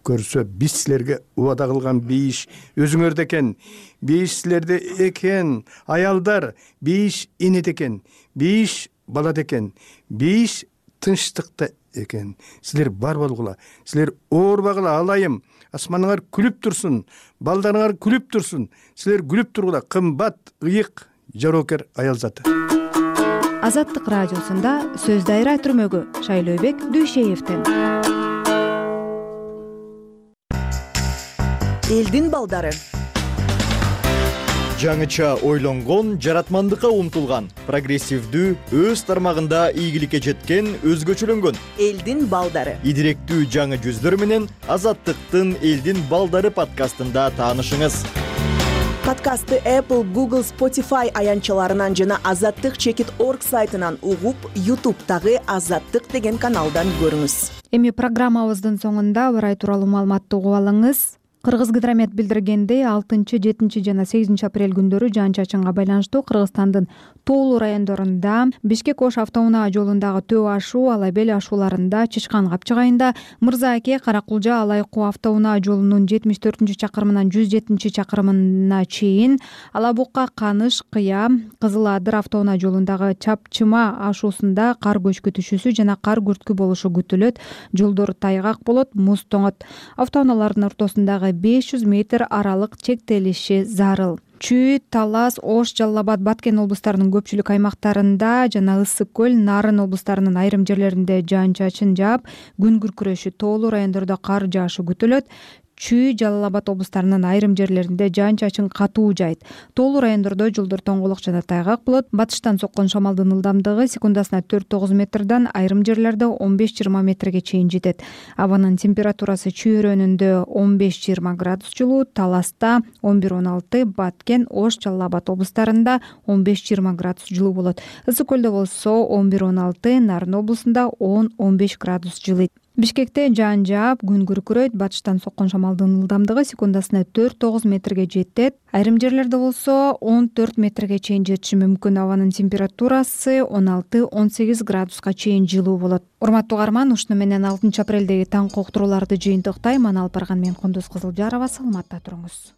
көрсө биз силерге убада кылган бейиш өзүңөрдө экен. Бейиш силерде экен. Аялдар, бейиш энеде экен. Бейиш балада экен. Бейиш тынчтыкта экен. Силер бар болгула. Силер оорбагыла алайым. Асманыңар күлүп турсун. Балдарыңар күлүп турсун. Силер күлүп тургула. Кымбат, ыйык, жоокер аял заты. Азаттык радиосунда сөз дайра түрмөгү Шайлообек Дүйшеевден. Элдин балдары. Жаңыча ойлонгон, жаратмандыкка умтулган, прогрессивдүү, өз тармагында ийгиликке жеткен, өзгөчөлөнгөн элдин балдары. Идиректүү жаңы жүздөр менен Азаттыктын Элдин балдары подкастында таанышыңыз. Подкастты Apple, Google, Spotify аянтчаларынан жана азаттык чекит точка орг сайтынан угуп, YouTube'тагы Азаттык деген каналдан көрүңүз. Эми программабыздын соңунда ырай тууралуу маалыматты угуп алыңыз. Кыргызгидромет билдиргендей, алтынчы, жетинчи жана сегизинчи апрель күндөрү жаан-чачынга байланыштуу Кыргызстандын тоолуу райондорунда Бишкек-Ош автоунаа жолундагы Төө ашуу, Алабел ашууларында, Чычкан капчыгайында, Мырза Аке, Каракулжа, Алайкуу автоунаа жолунун жетимиш төртүнчү чакырымынан жүз жетинчи чакырымына чейин, Алабукка, Каныш, Кыя, Кызыл Адыр автоунаа жолундагы Чапчыма ашуусунда кар көчкү түшүүсү жана кар күрткү болушу күтүлөт. Жолдор тайгак болот, муз тоңот. Автоунаалардын ортосундагы беш жүз метр аралык чектелиши зарыл. Чүй, Талас, Ош, Жалал Абад, Баткен облустарынын көпчүлүк аймактарында жана Ысык көл, Нарын облустарынын айрым жерлеринде жаан-чачын жаап, күн күркүрөшү, тоолуу райондордо кар жаашы күтүлөт. Чүй, Жалал Абад облустарынын айрым жерлеринде жаан-чачын катуу жайт. Тоолуу райондордо жолдор тоңголок жана тайгак болот. Батыштан соккон шамалдын ылдамдыгы секундасына төрт тогуз метрден айрым жерлерде он беш жыйырма метрге чейин жетет. Абанын температурасы Чүй өрөөнүндө он беш жыйырма градус жылуу, Таласта он бир он алты, Баткен, Ош, Жалал Абад облустарында он беш жыйырма градус жылуу болот. Ысык көлдө болсо он бир он алты, Нарын облусунда он он беш градус жылыйт. Бишкекте жаан жаап, күн күркүрөйт. Батыштан соккон шамалдын ылдамдыгы секундасына төрт тогуз метрге жетет. Айрым жерлерде болсо он төрт метрге чейин жетиши мүмкүн. Абанын температурасы он алты он сегиз градуска чейин жылуу болот. Урматтуу угарман, ушуну менен алтынчы апрелдеги таңкы уктурууларды жыйынтыктайм. Аны алып барган мен Кундуз Кызылжарова. Саламатта туруңуз.